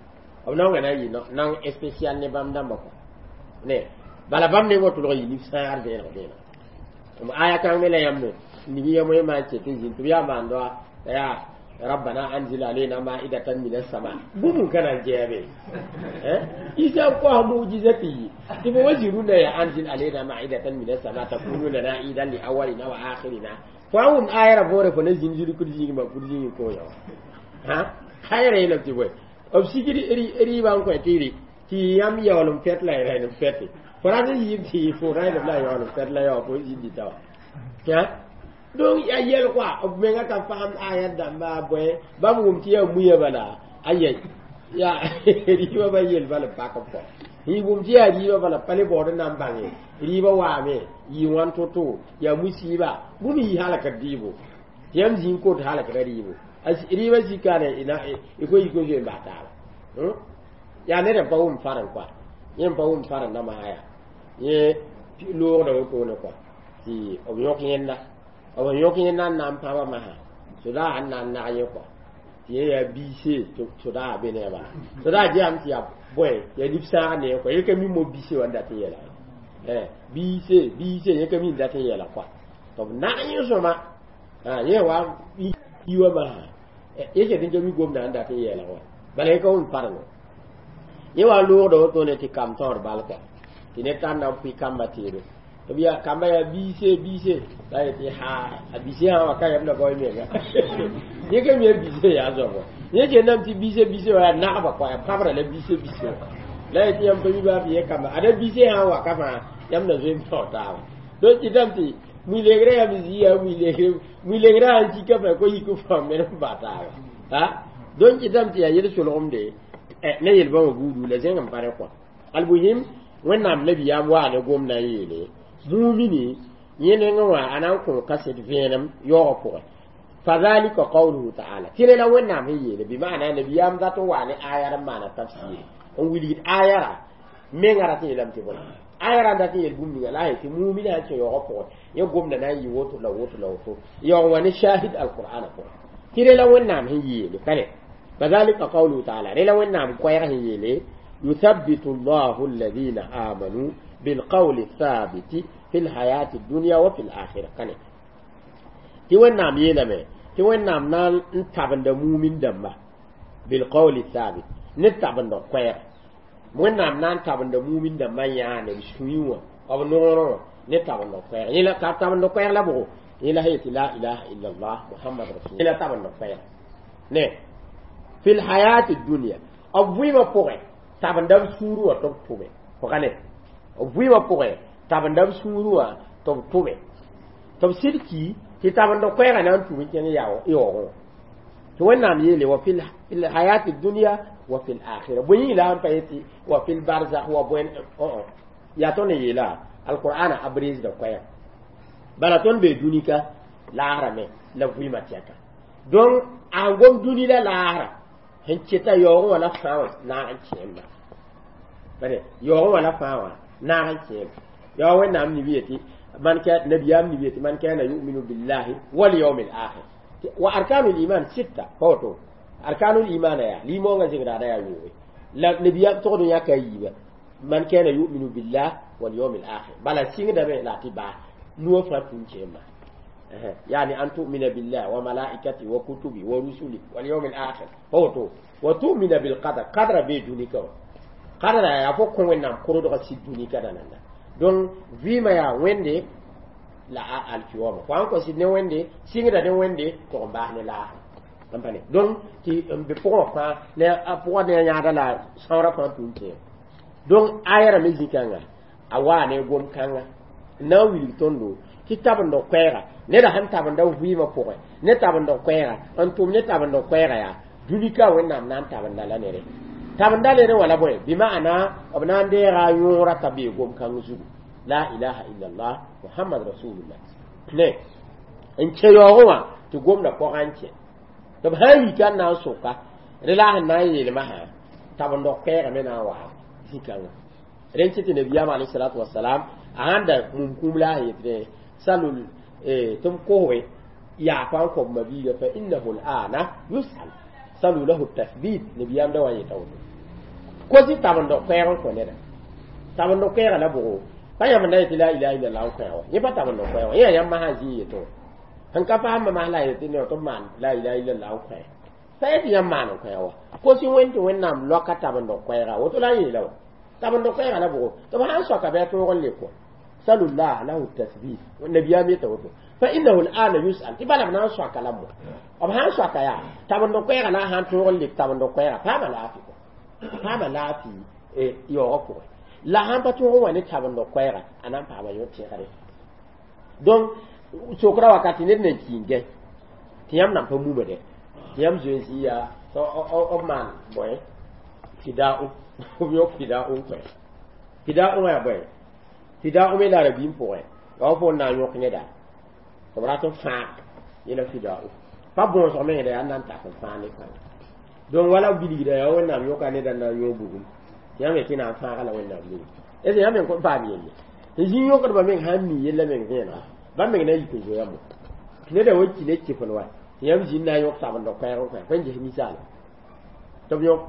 S1: b naongã na n yɩ naong spécial ne bãmb dãmbã kɔa ne bala bãmb nengã tʋlg yɩ nif-sãagr vẽeneg vẽeneg aya kãng me la yãmb ning yam wẽ maan ket n zĩnd tɩ b yaa maando yaa rabbana anzil alayna ma'idatan min as-sama bũmb ka na n gɛɛbe Isa kos mujiza tɩ yɩ tɩ fo wa zĩ rũndã yaa anzil alayna ma'idatan min as-sama takunu lana idan li awwalina wa akhirina fo a wʋm aya ra võore fo na zĩnd zirkd zĩig ma kud zĩig ko ya ha aya ra yeelame tɩ bõe b sigd rɩɩbã n kõ tɩ rɩ tɩ yãmb yaool n pɛt la y rẽnd n pɛte fo rat n yɩɩb tɩ fo rẽnd la yaool n pɛt la yao fo zĩndi tawa donc ya yɛl kɔa b menga ka paam aya dãmba bõe bãmb wʋm tɩ yaa muya bala aya ya rɩɩbã ba yel bala pak b kɔ yɩ wʋm tɩ yaa rɩɩbã bala pa le baood n na n bãnge rɩɩbã waame yɩ wãn to-to yaa musiiba bũmb yɩ halkd rɩɩbo tɩ yãmb zĩig kot halkda rɩɩbo rɩɩbã zikane y ko yik n zoe n bas taaba yaa ned n pa wʋm farẽ kɔa yẽ n pa wʋm farẽ namsã yaa yẽ loogda wotone kɔa tɩ b yõk yẽnda b yõk yẽnda n na n pãba masã sodaag n na n nag yẽ kɔa tɩ yẽ yaa biise sodaag be ne a bala sodaag geame tɩ yaa bõe yaa nif-sãag ne kɔa yẽ ka mi mo biise wã n dat n yɛla biise biise yẽ ka mi n dat n yɛla kɔa tɩ b nag yẽ sõma yẽ wa yi wã masã yẽ ket n ka mi gomda n dat n yɛɛlg wã bala yẽ ka wʋm farẽngã yẽ wa loogda wotone tɩ kam tõod bal kɔa tɩ ned tar na n pʋɩ kambã teedo tɩ b yaa kamba yaa biise biise la yetɩ ha a biise sã wã ka yam la bao menga yẽ ka mi a biise yaa zoabo yẽ kendame tɩ biise biise wã yaa nagba kɔa yaa pãbrã la biise biise wã la yetɩ yãmb pa mi baa bɩ yẽ kamba ada biise sã n wa ka fãa yãmb na zoe n pao taaba donc kɩtame tɩ mui-legrã yãmb zĩ yaa mui-legre mui-legrã sãn sika fãa ko yik fãa men n ba taaba ha donc kɩtame tɩ yaa yel-solgemde ne yel-bãmba buudu la zẽng n pa rẽ kɔa almuhim Wẽnnaam nabiyaam waa ne gomdã n yeele mumini yẽ nengẽ wã a na n kõ kaset vẽenem yaoogã pʋgẽ fadhalika qawluhu ta'ala tɩ la Wẽnnaam sẽn yeele bɩ maana nabiyaam dat n waa ne aya n maana tafsir n wilgd aya ra menga rat n yeelame tɩ bõe aya ra n dat n yeel bũmb ninga la a yetɩ mumini sãn kẽ yaoogã pʋgẽ yẽ gomda na n yɩ woto la woto la woto yaoog wã ne shahid alqur'ana pʋgẽ tɩ re la Wẽnnaam sẽn yeele ka ne fadhalika qawluhu ta'ala re la Wẽnnaam koɛɛg sẽn yeele yuthabbitu llahu alladhina amanu bilqawli thabiti fi lhayati dunya wa fi lakhira kane tɩ Wẽnnaam yeelame tɩ Wẽnnaam na n tabenda mumin dãmba bilqawli thabit ne tabenda koɛɛg Wẽnnaam na n tabenda mumin dãmbã yãane b sũyẽ wã b noorẽ wã ne tabend koɛɛg yẽ la ka tabend koɛɛg la bʋgo yẽ la yetɩ la ilaha illallah muhammad rasul la tabend koɛɛg ne fil hayati dunya b vɩɩmã pʋgẽ tabenda b sũurẽ wã tɩ b tʋme pʋga ne b vɩɩmã pʋgẽ tabenda b sũurẽ wã tɩ b tʋme tɩ b sɩd ki tɩ tabend koɛɛgã na n tũm n kẽng yaoogẽ tɩ wẽnnaam yeele wa fil hayati dunya wa fil akhirah bõe yĩng la sẽn pa yetɩ wa fil barzakh wa bõe yaa tõnd n yeela alqur'ana a breesda koɛɛg bala tõnd bee dũnika laasra me la vɩɩmã tɛka donc a sẽn gom dũni la laasra sẽn keta yaoogẽ wã la fãa wã naag n kẽemba bare yaoogẽ wã la fãa wã naag n kẽem yaa wẽnnaam nib yetɩ man ka nabiyam nib yetɩ man kana yuminu billahi wal yawmil akhir wa arkanul iman sitta pa woto arkanul iman ya limõngã zĩgdaada yaa yoobe la nabiyam togd n yãka a yiiba man kana yuminu billah wal yawmil akhir bala sɩngdame la tɩ baa nuwã fãa tũn kẽemba يعني أن تؤمن بالله وملائكته وكتبه ورسله واليوم الآخر فوتو وتؤمن بالقدر قدر بي دونيك قدر يا فو كون وينام كرودو سي دونيك دانanda donc vima ya wende la alkiwama fo an ko sid ne wende sɩngda ne wende tɩg n baas ne laasã n donc tɩ n be pʋgẽ wã fãa ne a pʋgã ne a yãada la sãoorã fãa tũn kẽem donc aya me zĩ-kãnga a waa ne gom-kãnga n na n wilg tõndo tɩ tabend koɛɛga neda sẽn tabenda vɩɩmã pʋgẽ ne tabend koɛɛga n tʋm ne tabend koɛɛga yaa dũnika wẽnnaam na n tabenda la nere tabenda nere wã la bõe bɩ ma'ana b na n deega a yõora t'a bee gom-kãng zugu la ilaha illallah muhammad rasulullah ne n kẽ yaoogẽ wã tɩ gomda pɔgã n kẽ tɩ b sã n yika n na n soka rẽ la sẽn na n yeelmã sã tabend koɛɛga me na n waa zĩ-kãngã rẽn kɩ tɩ nabiyaam alayhi salatu wasalam a sãn da mum kũum la a yetɩ salul tɩ b kosbe yaafa n kõb mabiiga fa innahu al'ana yusal salu lahu tathbit nabiyaam da wa n yeta woto kosi tabend koɛɛg n kõ neda tabend koɛɛga la bʋgo pa yãmb na yetɩ la ilaha illallah n koɛɛg wa yẽ pa tabend koɛɛg wa yẽ yaa yãmb masã zĩ n yetẽ sẽn ka faasmã mas la a yetɩ ne tɩ b maan la ilaha illallah n koɛɛ pa yetɩ yãmb maan n koɛɛg wa kosi wẽnd tɩ wẽnnaam loaka tabend koɛɛga woto la n yeela wa tabend koɛɛga la bʋgo tɩ b sãn soaka bɩ a tõog n le kɔ salu llah lahu tathbit nabiyam yeta woto fa innahu al'ana yus'al tɩ bala b na n soaka la mo b sãn soaka yaa tabend koɛɛga la a sãn tõog n lek tabend koɛɛga paama laafɩ kɔ paama laafɩ yaoogã pʋgẽ la sãn pa tõog n wa ne tabend koɛɛga a na n paama yõ-tẽgre donc sokra wakati ned nan ki n gãe tɩ yãmb nan pa muma dɛ tɩ yãmb zoeensã yaa b maan bõe fida'u b yõk fida'u n koɛ fida'u wã yaa bõe fida'u me la rabiim pʋgẽ wa fo n na n yõk neda tɩ b rat n fãag yẽla fida'u pa bõosg meng yaa n na n tak n fãag ne kãng donc wala bilgda yaa wẽnnaam yõka neda n na n yõog bugum tɩ yãmb yetɩ na n fãaga la wẽnnaam ning est ce yãmb meng kõn paam yelle tɩ zĩ yõkdbã meng sãn mi yella meng vẽenega bãmb meng na n yik n zoeya mo neda wa ki ne kɩfn wa tɩ yãmb zĩnd na n yõk tabend koɛɛg n koɛ pa n ges ninsaala tɩ b yõk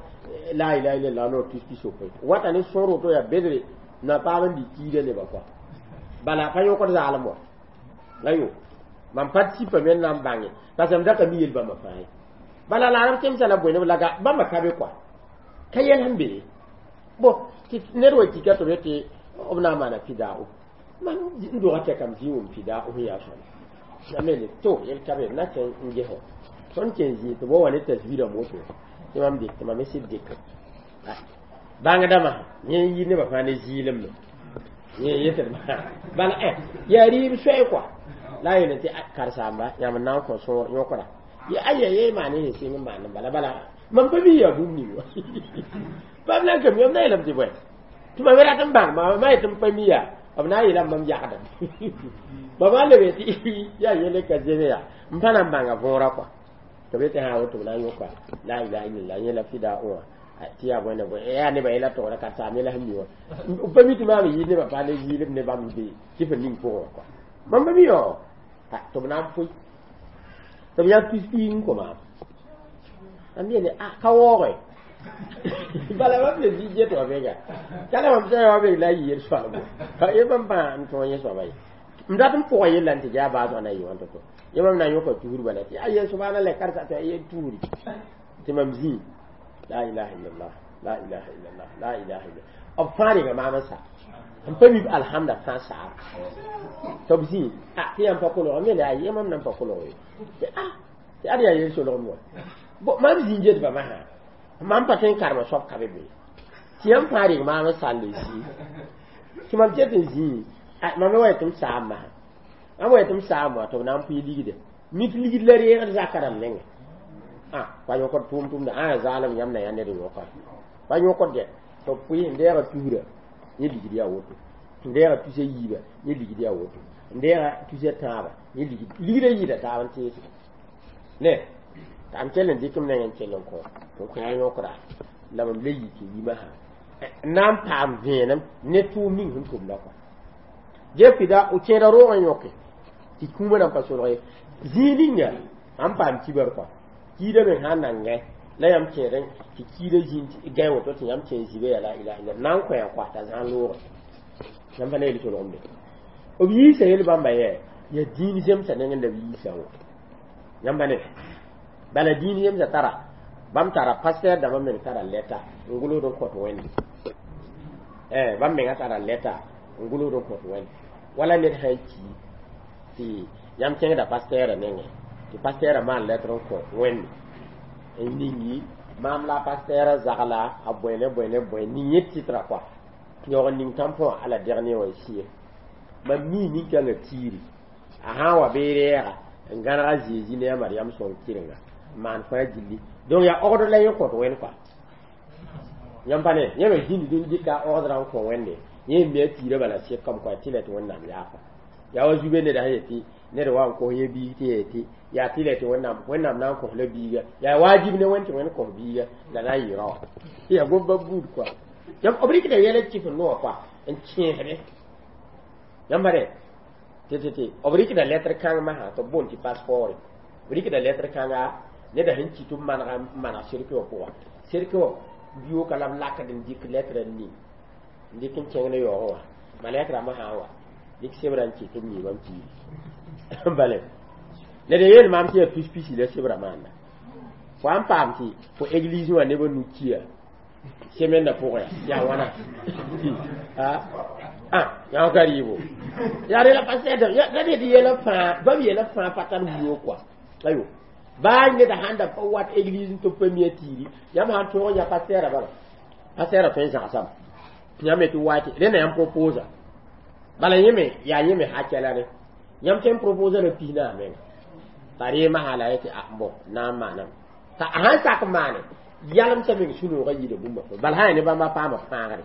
S1: la ilaha illallah noor tus pi-sopoe wata ne sõor woto yaa bedre na paam n bɩ kiida nebã kɔa bala pa yõkd zaalem wa la yo mam pa tipa me n na n bãnge parce m da ka mi yel bãmba fãa ye bala la arab kemsa la bõe neb la bãmba ka be kɔa ka yɛl sẽn be bo tɩ ned wa kika tɩ b yetɩ b na n maana fidao mam n doga tɛkame zĩ wʋm fidao sẽn yaa sõma la me le to yel ka be na kẽ n ges wã tõnd kẽ zĩ tɩ b wa wa ne tasbirã moto tɩ mam dɩk tɩ mam sɩd dɩk bãngdãmã yẽ yir nebã fãa ne zɩɩlem me yẽ yetdmã bala yaa rɩɩb soɛɛ kɔa la a yeel tɩ karen-saamba yãmb n na n kõ sõor yõkra aya ye maan sẽn sɩng n maan n bala bala mam pa mi yaa bũmb ning wa bãmb na n ka mi b na yeelame tɩ bõe tɩ mam rat n bãng ma yetɩ m pa mi yaa b na n yeelame mam yagdame ba maa lebe tɩ yaa yele ka zeme yaa m pa na n bãnga võora kɔa tɩ b yetɩ sã woto b na n yõka la ilaha illallah yẽ la fida wã tɩ yaa bõe bõe yaa nebã yɛla togra karen-saam yɛla sẽn mi wã pa mi tɩ maam yɩɩd nebã pa ne zɩɩlem ne bãmb be kɩf n ning pʋgẽ wã kɔa mam pa mi wã tɩ b na n pʋɩ tɩ b yã tus-piig n kõ maam mam yeele a ka waooge bala mam le zĩ get wã bega ka la mam sã wã beg la a yɩ yel-soalbo ye mam pã n tõog yẽ soaba ye m dat n pʋga yella n tɩ yaa baasg na yɩ wã to-to yẽ mam na n yõka tuur bala tɩ a yel subhanallah karsa tɩ a yel tuuri tɩ mam zĩ la ilaha illallah La ilaha illallah, la ilaha illallah. B fãa renga maam n sa n pa mib alhamda fãa saab tɩ b zĩ tɩ yãmb pa kolg m yeele a mam nan pa kolg ye tɩ a tɩ ad yaa yel solgem wa bo mam zĩ get bãmba sã mam pa tõe n karema soab ka be be tɩ yãmb fãa reng maam n sall n zĩ tɩ mam ket n zĩ mam wa tɩ m saam masã mam wa tɩ m saam wã tɩ b na n pʋɩ ligde mik ligd la reegd zaka rãmb nengẽ ah pa yõkd tʋʋm tʋmda ã zaalem yãmb na yaa ned n yõka pa yõkd dɛ tɩ b pʋɩ n deega tusra yẽ ligd yaa woto n deega tusa yiiba yẽ ligd yaa woto n deega tusa tãaba yẽ ligd ligdã yɩɩda taab n teese ne t'a m kell n dɩk m neng n kell n kõ tɩ n kõ a yõkra la mam le yik n yi masã n na n paam vẽenem ne tʋʋm ning sẽn tʋmda kɔa jefida o kẽeda roog n yõke tɩ kũumã nan pa solg ye zĩig ninga ãn paam kibar kɔa kiida me sã n nangẽ la yãmb kẽed tɩ kiida zĩnd gãe woto tɩ yãmb kẽ zĩbe yaa la ilaha illa na n kõ kɔa t'a zãag loogẽ yãmb pa ne yel solgemde b yiisa yel bãmba yɛ yaa dĩin zemsã nengẽ la b yiisã wã yãmb pa ne bala dĩin zemsã tara bãmb tara pasteur dãmbã meng tara lɛta n gʋlsd n kõt wẽnde bãmb menga tara lɛta n gʋlsd n kõt wẽnde wala ned sã n ki tɩ yãmb kẽngda pasteurã nengẽ tɩ pasteurã maan lɛtr n kõ wẽnde n ningi maam la pasteurã zagla a bõe ne bõe ne bõe ning yẽ tɩtra kɔa yaoog n ning tãmpõ wã ala dɛg ne wã n sɩe mam mii nin-kãngã tiiri a sã n wa bɩ rɛɛga n gãneg a Zeezi ne a Mariam sõng kɩrenga n maan fãa gilli donc yaa ogd la yẽ kõt wẽnd kɔa yãmb pa ne yẽ me zĩnd n dɩka ogdrã n kõ wẽnde yẽ me a tiirã bala sɩkame kɔa tɩ la tɩ Wẽnnaam yaafa yaa wa zube neda sẽn yetɩ ned wa n kos yẽ biig tɩ yetɩ yaa tɩ la tɩ Wẽnnaam Wẽnnaam na n kos la biiga yaa waajib ne wẽnd tɩ Wẽnd kos biiga la na n yɩ rao yaa gom-ba buud kɔa yãmb b rɩkda yɛla kɩf n noog kɔa n kẽesde yãmb pa ne tɩ tɩ tɩ b rɩkda lettre kãng masã tɩ b boond tɩ passeport b rɩkda lettre kãnga neda sẽn kɩ tɩ b manega n maneg cercueil wã pʋga cercueil wã biooka la b lakd n dɩk lettre n ning n dɩk n kẽng ne yaoogẽ wã malɛk rãmbã sã n wa dɩk sebrã n kɩ tɩ b mi bãmb kiiri bale ned n yeel maam tɩ yaa pis-pisi la sebrã maanda fo n paam tɩ fo église wã nebã nu kia semaine pʋgẽ yaa wãna ah yã ka rɩɩbo yaa rela pasteur la ned yɛla fãa bãmb yɛla fãa pa tar wio kɔa ayo baa neda sãn da pa wat église tɩ b pa mi a tiiri yãmb sãn tõog n yã pasteurã bala pasteurã tõe n zãgsame yãmb me tɩ wa tɩ rẽnda yãmb proposa bala yẽ me yaa yẽ me hakɛla re yãmb tõe n proposa la pis naas menga t'a ree masã la yetɩ a bõ na n maaname t'a sãn sak n maane yalmsã meng sũ-noogã yɩɩda bũmba fo bala sã yaa ne bãmba paama fãagre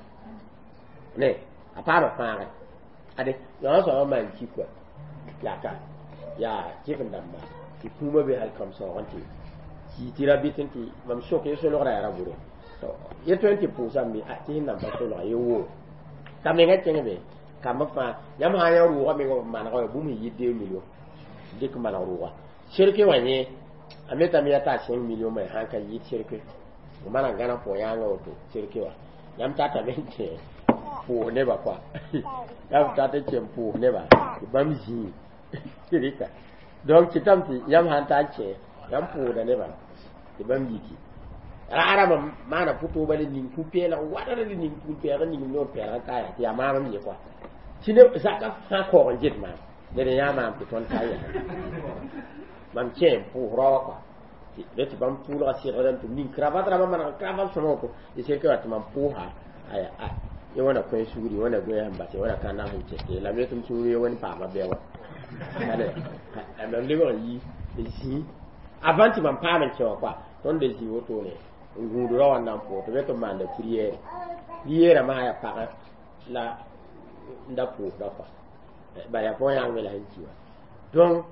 S1: ne a paama fãagre ade yã soabã maan ki kɔa yaa ka yaa kɩf n dãmba tɩ kũumã be hal kãmsaoog n tɩ kii tɩ ra bɩt n tɩ mam sok ye solgrã yaa ra bʋre ye tõe n tɩ pʋʋsame tɩ sẽn nan pa solga ye woo t'a mengã kẽng be kambã fãa yãmb sã n yã rʋʋgã meng b manega wa bũmb sẽn yɩ deux millions dɩk maneg rʋʋga cercueil wã yẽ a metame yaa t'a cinq millions me sãn ka yɩɩd cercueil b maneg gãna pʋgã yãanga woto cercueil wã yãmb tatame n kẽ pʋʋs nebã kɔa yãmb tat n kẽ n pʋʋs nebã tɩ bãmb zĩig rɩka donc kɩtame tɩ yãmb sãn ta n kẽ yãmb pʋʋsda nebã tɩ bãmb yiki ra-rãmbã maana pʋtooba le ning pu-peelg wadr le ning pul-peelg ning noor peelg n ka yaa tɩ yaa maam ye kɔa tɩ ne zaka fãa kaoog n get maam ned n yã maam tɩ tõnd ka yaa mam kẽ n pʋʋs rao wã kɔa tɩ tɩ bãmb pʋʋlga sɩgdame tɩ ning cravate rãmbã maneg cravate sõma woto tɩ cercueil wã tɩ mam pʋʋsa aya a ye wãna kõ sugri wãna goẽ sẽn bas wãna ka nam sẽn kẽte la me tɩ m sũur ye wẽnd paama bɛ wã mam lebg n yi n zĩ avant tɩ mam paam n kẽ wã kɔa tõnd da zĩ wotone n gũud rao wã n na n pʋʋs tɩ be tɩ b maanda prière prière masã yaa pagã la n da pʋʋsda kɔa ba yaa pʋgã yãng me la sẽn ki wã donc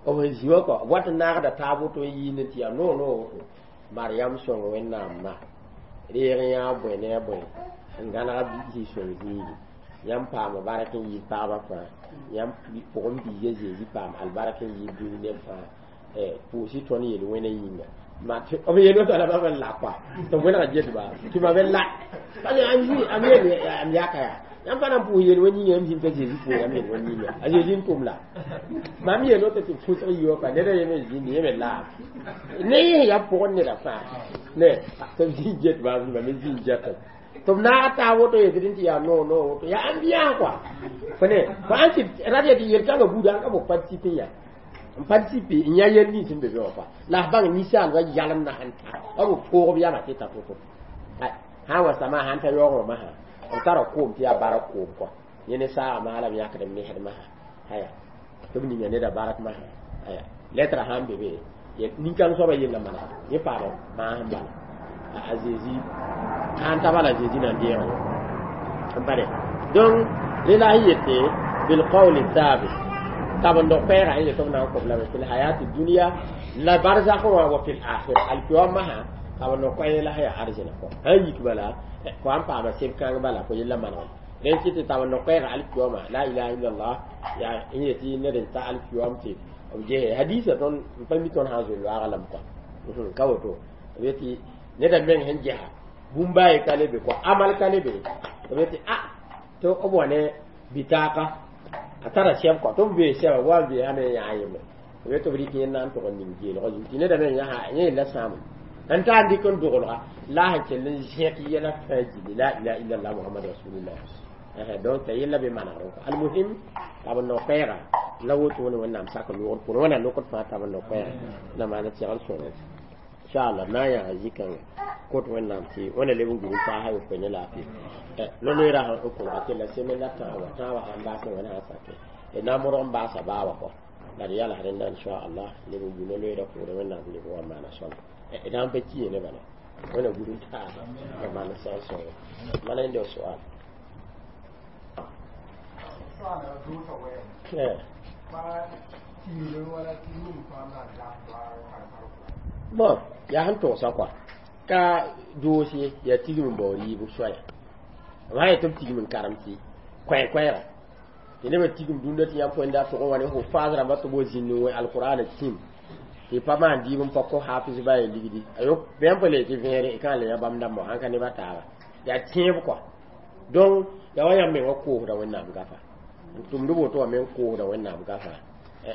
S1: b sẽn zĩ wã kɔ b wat n naagda taab woto n yind tɩ yaa noog noog woto Mariam sõng Wẽnnaam reeg n yã bõe ne a bõe n gãneg biisi sõng zĩigi yãmb paama bark n yɩɩd pagba fãa yãmb pʋgẽ biiga Zeezi paam albark n yɩɩd dũni neb fãa pʋʋs-y tõnd yel-wẽna yĩnga b yel woto la bãmb n la kɔa tɩ b wẽneg getba tɩ mam n la am yel am yaka yaa Yãmb pa na n pʋʋs yel wa yĩnga yãmb zĩnd t'a Zeezi pʋʋs yãmb yel wa yĩnga a Zeezi n tʋm la mam yeel woto tɩ pʋsg yi wa pa ned a yeme zĩnd yẽ me laam ne yẽ yaa pʋgẽ neda fãa ne tɩ b zĩnd get maam mam me zĩnd jatb tɩ b naag taab woto yetɩ tɩ yaa no no woto yaa ambiance quoi fo ne fo ãn tɩ rat ya tɩ yel-kãngã buuda n ka fo participer ya n participer n yã yel nins n be be wã kɔa la f bãng ninsaalbã yalem na sẽn ta b poogb yama tɩ ta to-to sã n wa sama sãn ta yaoogẽ masã b tara koom tɩ yaa barak koom kɔa yẽ ne saaga maala b yãkd n nesd masã aya tɩ b ninga neda barak masã aya lɛtra sãn be be nin-kãng soabã yella manega yẽ paama maasem bala a Zezi sãn ta bala Zezi na n deega yõ n pa donc rẽ la sẽn yete bilqawli thabit tabendo koɛɛga sẽn yet b na n kõb lame fil hayati dunia la barzakh wã wa fil akhira alkiyama sã tabendo koɛɛ la sẽn yaa arzẽna kɔ sãn yik bala fo sãn paama seb kãng bala fo yella manegem rẽn kɩ tɩ tabendo koɛɛga alkiyama la ilaha illallah yaa n yetɩ ned n ta alkiyam tɩ b ges hadisa tõnd n pa mi tõnd sã n zoe loaagã lame kɔa ka woto b yetɩ neda meng sẽn gesa bũmb a ye ka le be kɔ amal ka le be b yetɩ a tɩ b wa ne bitaaka a tara sɛb kɔ tɩ b bee sɛba wa n beesame n yaa yembre b yetɩ b rɩk yẽnd na n tʋg n ning geelgã zugu tɩ neda meng yãsa yẽ yella sãame n ta n dɩk n dogelga la a sẽn kell n zẽk yɛla fãa gilli la ilaha illallah muhammad rasulullah donc t'a yella be manegr kɔ almuhim tab n no-koɛɛga la wotone wẽnnaam sak loogd pʋgẽ wẽnnaam lokd fãa tab n no-koɛɛga na maana segl sõng inshallah na yaa zikãnga kot wẽnnaam tɩ wẽnna leb n gũ n paasa yopoe ne laafɩ no-loeera sãn n kõgda tɩ la seme la tãabã tãabã sãn baas wẽna sã sake na modg n baasa baa wa kɔ la d yals rẽnda inshallah leb n gũ no-loeera pʋʋrẽ wẽnnaam leb n wa maana sõma d sãn pa ki ne bala wẽna gũd n taasa la maana segl sõngo mana yẽnde soal bon yaa sẽn tʋgsa kɔa ka doos ye yaa tigm n baoor yiibg soaya b sã yetɩ b tigm n karem tɩ koɛɛ-koɛɛga tɩ nebã tigm dũnda tɩ yãmb põenda tʋg n wa ne hufaaz rãmbã tɩ b wa zĩnd n wẽ alqur'ana tĩm tɩ pa maan dɩɩb n pa kõ hafiz ba yaa ligdi ayo bãmb pa le tɩ vẽere y kã le yã bãmb dãmbã sãn ka nebã taaba yaa tẽeb kɔa donc yaa wa yãmb mengã koosda wẽnnaam gafa n tʋmd woto wã meng koosda wẽnnaam gafa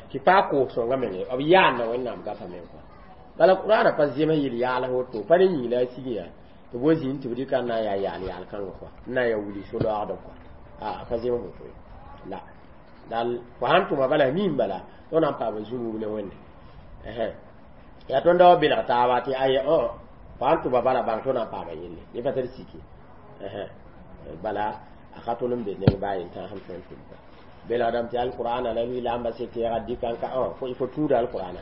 S1: tɩ paa koos sõngã meng b yaanda wẽnnaam gafa meng kɔa bala qur'ana pa zem yel yaal woto pa ne yĩng la a sig yaa tɩ b wa zĩnd tɩ b dɩka n na n yaa yaal yaal kãngã kɔa n na n yaa wuli so-laoogdb kɔa a pa zem woto ye la dal fo sãn tʋma bala miim bala tõnd na n paama zũnub ne wẽnde yaa tõnd da wa belg taaba tɩ aya fo sãn tʋma bala bãng tõnd na n paama yelle yẽ pa tar sike bala a ka tõnd n be neng baa yen tãasem tõnd tʋm kɔa belgdame tɩ alqur'ana la wilamba se tɛɛga dɩkan ka fo tũuda alqur'ana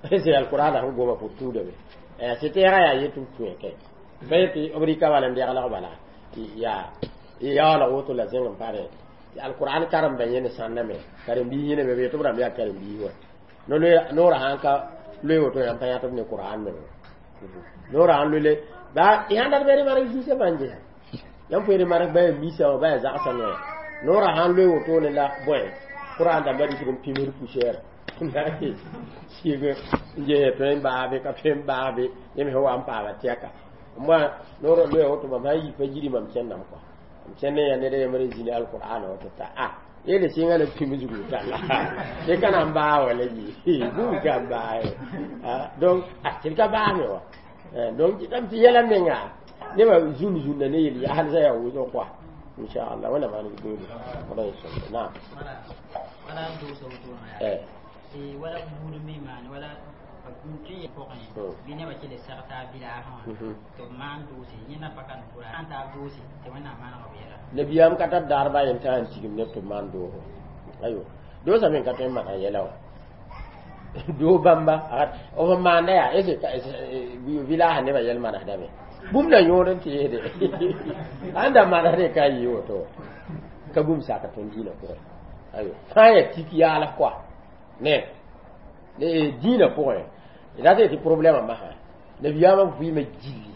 S1: c'est alqur'ana sẽn goma fo tũudame se tɛɛga yaa yetɩ b tũ kɛ pa yetɩ b rɩka bala n deglg bala tɩ yaa yaoolg woto la zẽng n pa rẽ tɩ alqur'an karemba yẽne sãnda me karen-biis yẽne me b yetɩ b rãmb yaa karen-biis wa noorã sãn ka loe woto yãmb pa yãtb ne qur'an me noorã sãn loe ba y sãn dat bɩ marg zĩisã fãa n gesa yãmb fo marg ba yaa misa wã ba yaa zagsã noya noorã sãn loe wotone la bõe qur'an dãmbã rɩkd n pimsd poussière sɩg n ges tõe n baabe ka tõe n baabe yẽ me sẽn wa n paama tɛka moa noor loe woto mam sãn yi pa yiri mam kẽndame kɔa m kẽnd n yaa ned a yembr n zĩni alqur'ana woto t'a a yele sɩnga la pimsgu talla tɩ ka na n baa wa la yi bũmb ka n baa ye donc a tɩ d ka baame wa donc tɩ tɩ yɛla menga nebã zũn zũnna ne yel yaalsã yaa wʋsg kɔa inchallah wẽnna maan gũudi naam eh
S2: wala buud me maan wala tɩ yẽ pʋgẽ bɩ nebã kell seg taab bilaasẽ wã tɩ b maan doose yẽnda pa ka n pʋra sãn taab doose tɩ wẽnnaam maneg b yɛla
S1: nabiyaam ka tar daar baa yen tã n tigim neb tɩ b maan doogo ayo doosa me ka tõe n maan yɛla wã doo bãmba b n maanda yaa est vilaasã nebã yɛl manesdame bũmb la yõod n tɩ yeesde ãn da manesde ka yɩ woto ka bũmb sak tõnd dĩinã pʋgẽ ayo fãa yaa tik yaals kɔa ne ne dĩinã pʋgẽ dat tɩ problɛmã masã nabiyaamã vɩɩmã gilli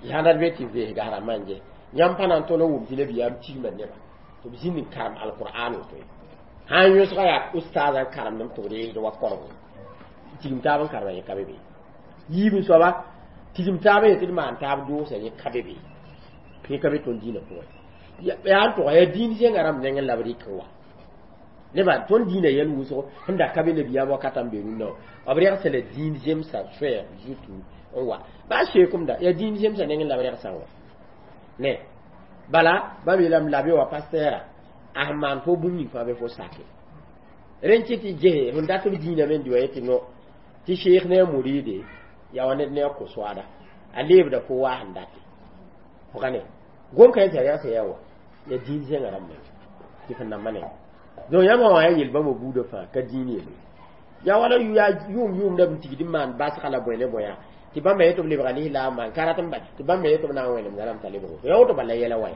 S1: sãn dat be tɩ veesga rãmbã n ges yãmb pa na n tõl n wʋm tɩ nabiyaam tigma neba tɩ b zĩnd n karem alqur'an woto ye sãn yõsga yaa ustaaz n karemdem tɩ b reesd wa korgo tigim taab n karema yẽ ka be be yiib soaba tigim taab yetɩ d maan taab doosa yẽ ka be be yẽ ka be tõnd dĩinã pʋgẽ Yaa n tʋga yaa dĩin zẽnga rãmb nengẽ la b rɩk n wa nebã tõnd dĩinã yɛl wʋsgo sẽn da ka be nabiyaam wakatã n be rũnnã wã b rɛgsa la dĩin zemsã soɛɛg zutu n wa baa seekomda yaa dĩin zemsã nengẽ la b rɛgsã wa ne bala bãmb yeelame la be wa pastɛɛra a sẽn maan fo bũmb ning fãa be fo sake rẽn kɩ tɩ ges sẽn dat b dĩinã me n dɩ wa yetɩ no tɩ sheekh ne a muride yaa wa ned ne a ko-soaada a leebda fo waa sẽn date fo ka ne gom ka yetɩ rɛgsa yaa wa yaa dĩin zẽngã rãmb meng tɩ fo namba ne donc yãmb wã yaa yel bãmba buudã fãa ka dĩin yelle yaa wala yaa yʋʋm yʋʋmda b tigd n maan basga la bõe ne bõe tɩ bãmba yetɩ b lebga lislaam maan ka rat n ba tɩ bãmba yetɩ b na n wẽnemda rãmb t'a lebg yaa woto bala yɛla wa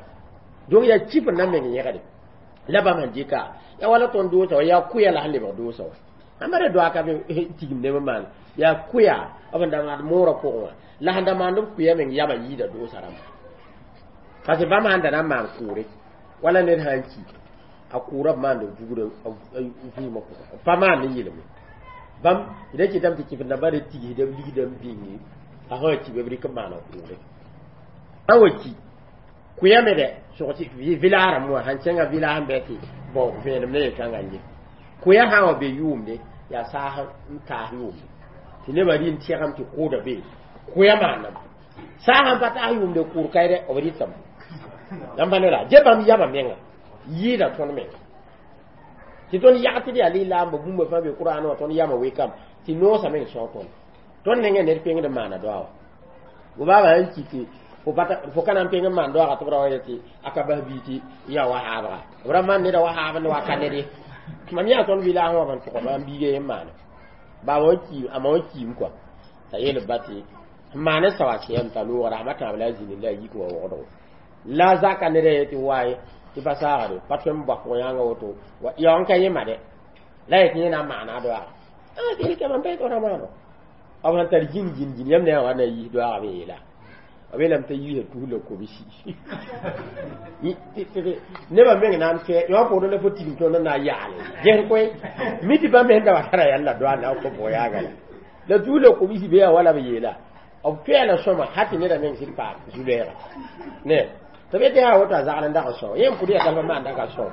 S1: donc yaa kɩf n na meng yẽgde la bãmb sẽn dɩka yaa wala tõnd doosa wa yaa kʋya la sẽn lebg doosa wa ãmba re doa ka be tigim neb n maan yaa kʋya b n da maan moorã pʋgẽ wã la sẽn da maand b kʋya meng yama yiida doosa rãmba parce que bãmb sãn da na n maan kʋʋre wala ned sã n ki a kʋʋra b maand vugda vɩɩmã pʋgã pa maan ne yelme bãmb d kɩtame tɩ kɩf nambã re tigsda b ligda n bĩnge a sã wa ki b rɩk n maana kʋʋre sã wa ki kʋyame dɛ sog tɩ vɩlaas rãmb wã sãn kẽngã vɩlaas n bɩ tɩ bõn vẽenem ne yel-kãngã n ye kʋya sã n wa be yʋʋmde yaa saas n taas yʋʋmde tɩ nebã rɩ n tẽgame tɩ kʋʋda be kʋya maanam saas sãn pa taas yʋʋmde kʋʋr kaɩdɛ b rɩtame yãmb ne la dze bãmb yama menga yɩɩda tõnd menga tɩ tõnd yag tɩ d yaa lislaamba bũmba fãa be kuraan wã tõnd yama wekame tɩ noosã meng sõg tõnd tõnd nengẽ ned pengd n maana doa wa gobaaba sãn ki tɩ fo ka na n peng n maan doaga tɩ b ra wa yetɩ a ka bas bii tɩ yaa wa haabga b ra maan neda wa haab ne wa ka ned ye mam yaa tõnd vɩlaas wã ban tʋga maam biiga yen maana baaba wã kiim a ma wã kiim kɔa t'a yeel b ba tɩ n maan n sawa sẽyam t'a loogr a tãab la a zĩni la a yik wa wogdgo la zaka neda yetɩ waye tɩ pa saagre pa tõe n bak yãnga woto ya n ka yẽma dɛ la yetɩ yẽ na n maana a doaga tɩ mam pa yetɩ ra maano b sãn tar gĩn gĩn gĩn yãmb ne yã wa na yiis doaga b yeela b yeelame t'a yiisa tus la kobsi nebã meng na n fɛ yõ poorẽ la fo tigim tõnd n na n yaale ges koe mi tɩ bãmb sẽn da wa tara yãlla doa na n kõ bʋg yaaga la la tus la kobsi be yaa wala b yeela b toɛɛla sõma ha tɩ neda meng sɩd paam zu-lɛɛga ne tɩ b yetɩ yaa woto a zagr n dag n sõo yẽ n pʋd yaa talfa maan dag n sõo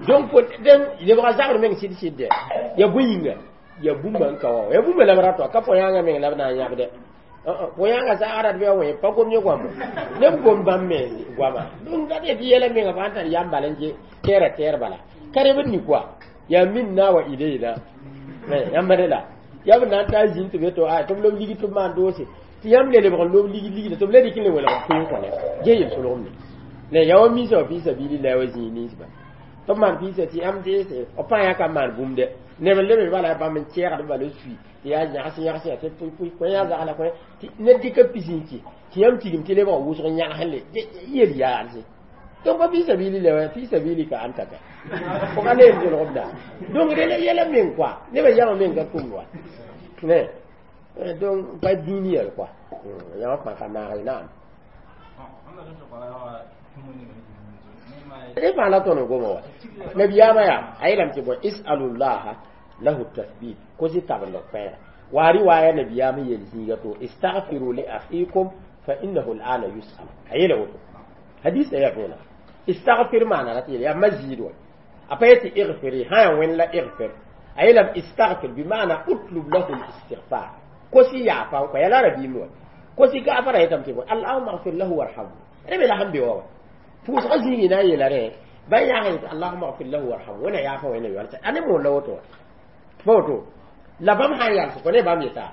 S1: donc den lebga zagr meng sɩd sɩd dɛ yaa bõe yĩnga yaa bũmba n ka wa yaa bũmba la b rata ka põ-yãngã meng la b na n yãbdɛ põ-yãngã zagra d bɩ a wẽ pa gom yẽ goamo neb gom bãmb me goama donc dat yetɩ yɛla menga fãa n tar yam bala n ke tɛɛra tɛɛr bala ka reb n ni koa yaa minna wa ilayna yãmb la yaa b na n taa zĩnd tɩ be to tɩ b lob lig tɩ b maan doose tɩ yãmb le lebg n lob lig ligda tɩ b la dɩk n le welg kʋɩ n kõ ge yel-solgem ne ne yaa wa misa wa fɩ sabilillah wa zĩig ninsba tɩ b maan pɩɩsa tɩ yãmb deese b pãa yaa ka maan bũmb dɛ neb n leb bala bãmb n kɛɛgd bala sui tɩ yaa yãgs yãgs tɩ pʋɩ kõ yaa zagla kõ tɩ ned dɩka pis n kɩ tɩ yãmb tigim tɩ lebg wʋsg yãgs n le yel yaalse donc pa fɩ sabilillah wa fɩ sabilika anta ka fo ka ne yel-solgem da donc rẽ la yɛla meng koa nebã yama meng ka tʋmd wa ne donc pa dĩin yɛl koa yãmb fãa ka naag naam rẽ fãa la tõnd goma wa nabiyaamã yaa a yeelame tɩ bõe isalullaha lahu tathbit kosi tabend koɛɛga wa riwaya nabiyaam yel zĩiga to istagfiru li akhikum fa innahu al'ana yus'al a yeela woto hadisa yaa võona istagfir maana rat yeel yaa mazid wa a pa yetɩ igfiri sã yaa wẽnd la igfir a yeelame istagfir bima'ana utlub lahu listighfar kosi yaafa n kõ yaa la rabiim wa kosi gafara yetame tɩ bõe allahuma agfir lahu warhamhu rẽ me la sẽn be wa wa pʋʋsgã zĩigi na n yeela rẽ bãn yãag yetɩ allahuma agfir lahu warhamhu wẽna yaafa wẽna yoalsa a ne moon la woto wa pa woto la bãmb sã n yals kõ ne bãmb yeta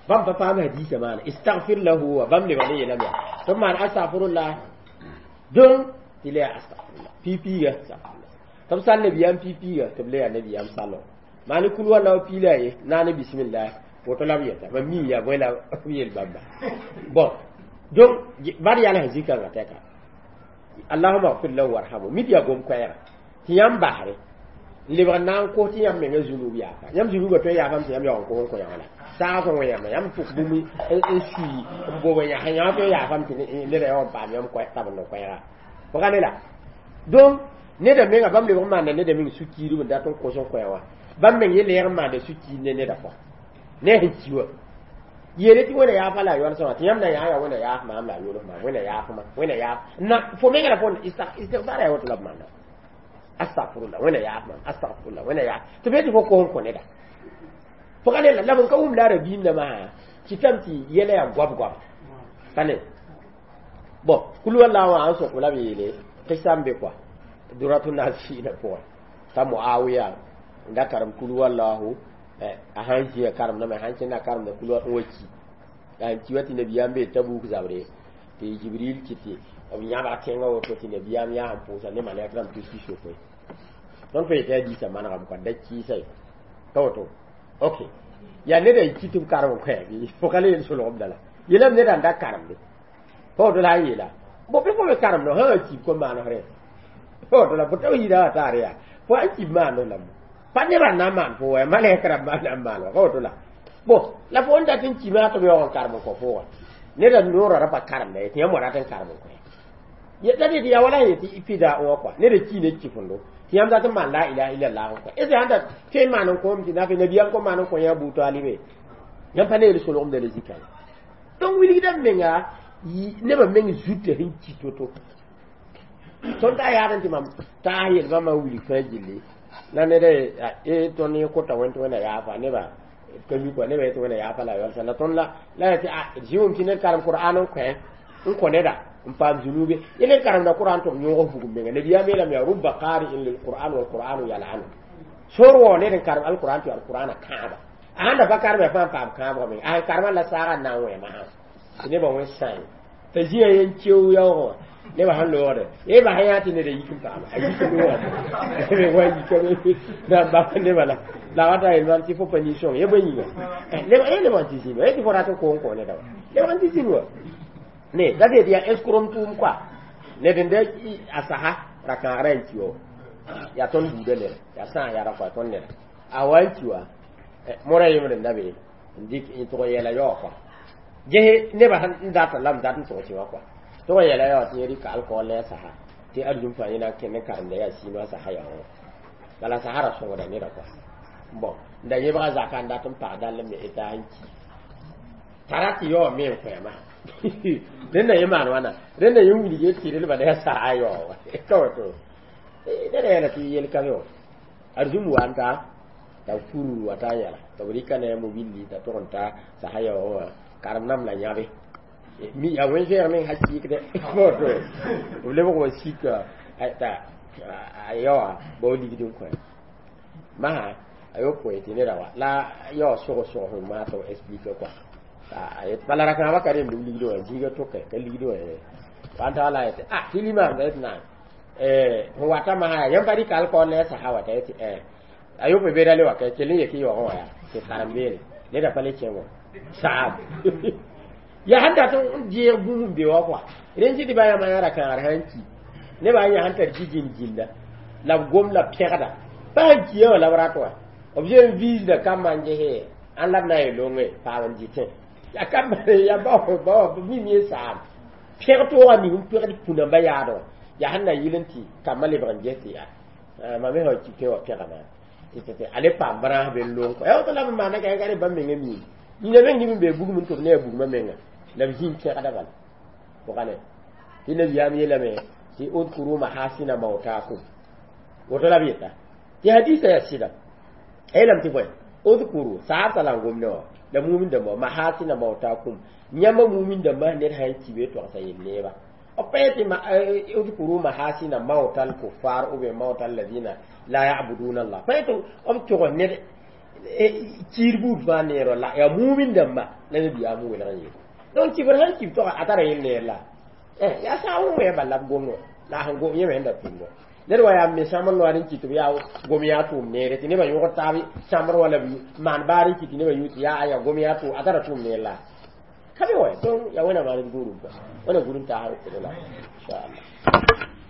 S1: bãmb pa paam hadiisa maana istagfir lahu wa bãmb lebg ne yeelame yaa tɩ b maan astagfirullah donc tɩ le yaa astagfirullah piig-piiga astagfirullah tɩ b sal nabiyaam piig-piiga tɩ b le yaa nabiyaam salo maane kul walla wa piila ye naane bismillah woto la b yeta mam mi yaa bõe la b yel bãmba bon donc bad yals zĩ-kãngã tɛka allahuma agfir lahu warhamhu mid yaa gom koɛɛga tɩ yãmb basre n lebg n na n kos tɩ yãmb menga zunub yaafa yãmb zunubã tõe n yaafame tɩ yãmb yaoog n kos n kõ yã la saag sẽn wẽ yãmba yãmb tʋk bũmb n sui n bob n yãs yã tõe n yaafame tɩ neda yaoog n paam yãmb tabend n koɛɛga fo ka ne la donc neda menga bãmb lebg n maanda neda meng su-kiirb n dat n kos n kõ yã wã bãmb meng ye lɛɛg n maanda su-kiir ne neda fo ne sẽn ki wã Yele tɩ wẽna yaaf la a yols wã tɩ yãmb na yaa yaa wẽna yaaf maam la a yols maam wẽna yaaf ma wẽna yaaf na fo menga la fo istigfar yaa woto la b maana astagfirullah wẽna yaaf maam astagfirullah wẽna yaaf tɩ be tɩ fo kos n kõ neda fo ka ne la b n ka wʋm la a rabiim masã kɩtame tɩ yɛla yaa goab goab pa ne bon kul walla wã n sõk la b yeele qissa n be kɔa duratu nasina pʋgẽ t'a muawiya n da karem kul wallahu a sãn zĩa karemdame sãn kẽnda karemda kul n wa ki n ki wa tɩ nabiyaam bee tabuk zabre tɩ jibril kɩ tɩ b yãbg tẽngã woto tɩ nabiyaam yaa sẽn pʋʋsa ne malɛk rãmb tus sokoe tõnd fa yetɩ hadiisã manegame kɔa da kɩɩsa ye ka woto ok yaa neda y ki tɩ b karem n kõ bɩ fo ka le yel solgb dala yelame neda n da karemde pa woto la a yeela bo bɩ fo me karemdo sã wã kib kom maanesrẽ pa woto la fo tawhiida wã taar yaa fo a kib maando la pa nebã n na n maan fo wa malɛk rãmbã n na n maan wa ka woto la bon la fo n dat n kima tɩ b yaoog n karem n kõ fo wa neda noorã ra pa karemda ye tɩ yãmb wa rat n karem n kõ la d yaa wala yetɩ fida wã kɔa neda ki ne kifendo tɩ yãmb dat n maan la ilaha illallah n kõ est sãn dat tõe n maan n kõom tɩ nafe nabiyaam kom maan n kõ yã Abu Talibe yãmb pa ne yel solgemda la zikã donc wilgda menga nebã meng zutã sẽn ki to-to tõnd ta yaad n tɩ mam taas yel bãmba wilg fãa gilli la ned e tõnd yẽ kota wẽnd tɩ wẽnna yaafa nebã ka mi kɔa nebã yetɩ wẽnna yaafa la yɔlsa la tõnd la la ya tɩ zĩ wʋm tɩ ned karem qur'an n kõ n kõ neda n paam zunube ye ned karemda qur'an tɩ b yõog bugum menga nabiyaam yeelame yaa rubba qari'in lilqur'an walqur'anu yal'anu sor wao ned n karem alqur'an tɩ alqur'ana kãaba a sãn da pa karem yaa fãa n paam kãabgã menga a sẽn karemã la saaga n na n wẽ masã tɩ nebã wẽ sãe t'a zĩã yen keo yaoogã wã nebã sẽn loogde ye bas yã tɩ neda yik n paama a yik loogame wa yikame na n bas nebã la la wata yel mam tɩ fo pa nin-sõng ye bõe yĩnga ye lebg n tɩ zĩnd wa ye tɩ fo rat n koon kõ neda wa lebg n tɩ zĩnd wa ne da tɩ yaa escrom tʋʋm koa ned n da a sasa ra-kãagrã n ki wa yaa tõnd buudã neda yaa sãas yaa ra-koa tõnd neda a wa n ki wa mora yembre n da be n dɩk n tʋg n yɛla yaoog koa ges nebã sẽn data la m dat n tʋg tɩ wã koa tʋg n yɛla yaoog tɩ yẽ rɩka alcool ne a sasa tɩ arzum fãa yẽ na n kẽnd n karemda yaa sɩɩmã sasa yaoogã bala sasa ra sõgda neda koa bon n da yẽbga zaka n dat n pag dall n me eta n ki t'a rat tɩ yaoog me n koɛɛmã rẽnda yẽ maan wãna rẽnda yẽ wilg tɩrlbã la yaa saa yaoog ka woto neda yɛla tɩ yel ka be wã arzum wa n ta t'a fur wa ta yɛla tɩ b rɩka ne a mobilli t'a tʋg n ta sasa yaoogã wã karem nam la yãbe mi ya wẽn-zɛɛg meng ha sɩɩkdɛ woto b lebg wa sika t'a a yaoa bao ligd n kõ masã a yopoe tɩ neda wa la yaoog sog-sog sẽn maa tɩ b explique kɔa bala ra-kãabã ka rem b ligd wã zĩiga tʋka ka ligd wã wa n ta la yetɩ ah tɩ limaamda yetɩ naam sẽn wata masã yaa yãmb pa rɩka alcool ne a sasa wa t'a yetɩ a yopoe be ra le wa ka kell n yek y yaoogẽ wã yaa tɩ karem beene neda pa le kẽ wã saab yaa sẽn dat n deeg bũmb n be wa kɔa rẽnd tɩ tɩ ba yãmba yã ra-kãagr sãn ki nebã n yã sẽn tar ji-gĩn-gĩnda la b gom la pẽgda pa sẽn kiã wã la b rat wã b zoe n viisda kambã n gese ãn la b na n yel longe paam n dɩtẽ yaa kambã yaa bao bao mim ye saam pẽg toogã ning n pẽgd pũnãmbã yaadẽ wã yaa sẽn na yɩl n tɩ kambã lebg n ges tɩ yaa mam me sã wa ki tẽ wã pẽga maam tɩ a le paam bãraas be n long kɔ yaa woto la b maanda ka ka ne bãmb menga miime nina meng neb n bee bugum n tʋb ne yaa bugmã menga la b zĩig pẽgda bala pʋgã ne tɩ nabiyaam yeelame tɩ udkuru mahasina mautakum woto la b yeta tɩ hadisa yaa sɩda a yeelame tɩ bõe udkuru saab la n gom ne wã la mumin dãmba mahasina mautakum yãmba mumin dãmba ned sã n ki be togsa yel neeba b pa yetɩ udkuru mahasina mautal kuffar ou bien mautal ladina la yabuduna allah pa yetɩ b tʋgs ned kiir buud fãa neer la yaa mumin dãmba la nabiyaam welg n yeel donc kibr sãn kib toga a tara yel neer la yaa saab n wẽ bala b gomd wã la sẽn gom yẽ me sẽn da tʋmd ned wa yaa me sãmbr loaad n kɩ tɩ b yaa gom yaa tʋʋm neere tɩ nebã yõgd taab sãmbr wala b maan baar n kɩ tɩ nebã yũ tɩ yaa aya gom yaa tʋʋm a tara tʋʋm neer la ka be wa donc yaa wẽnnaam maan d gũudum wẽna gũudum taasr la inchallah.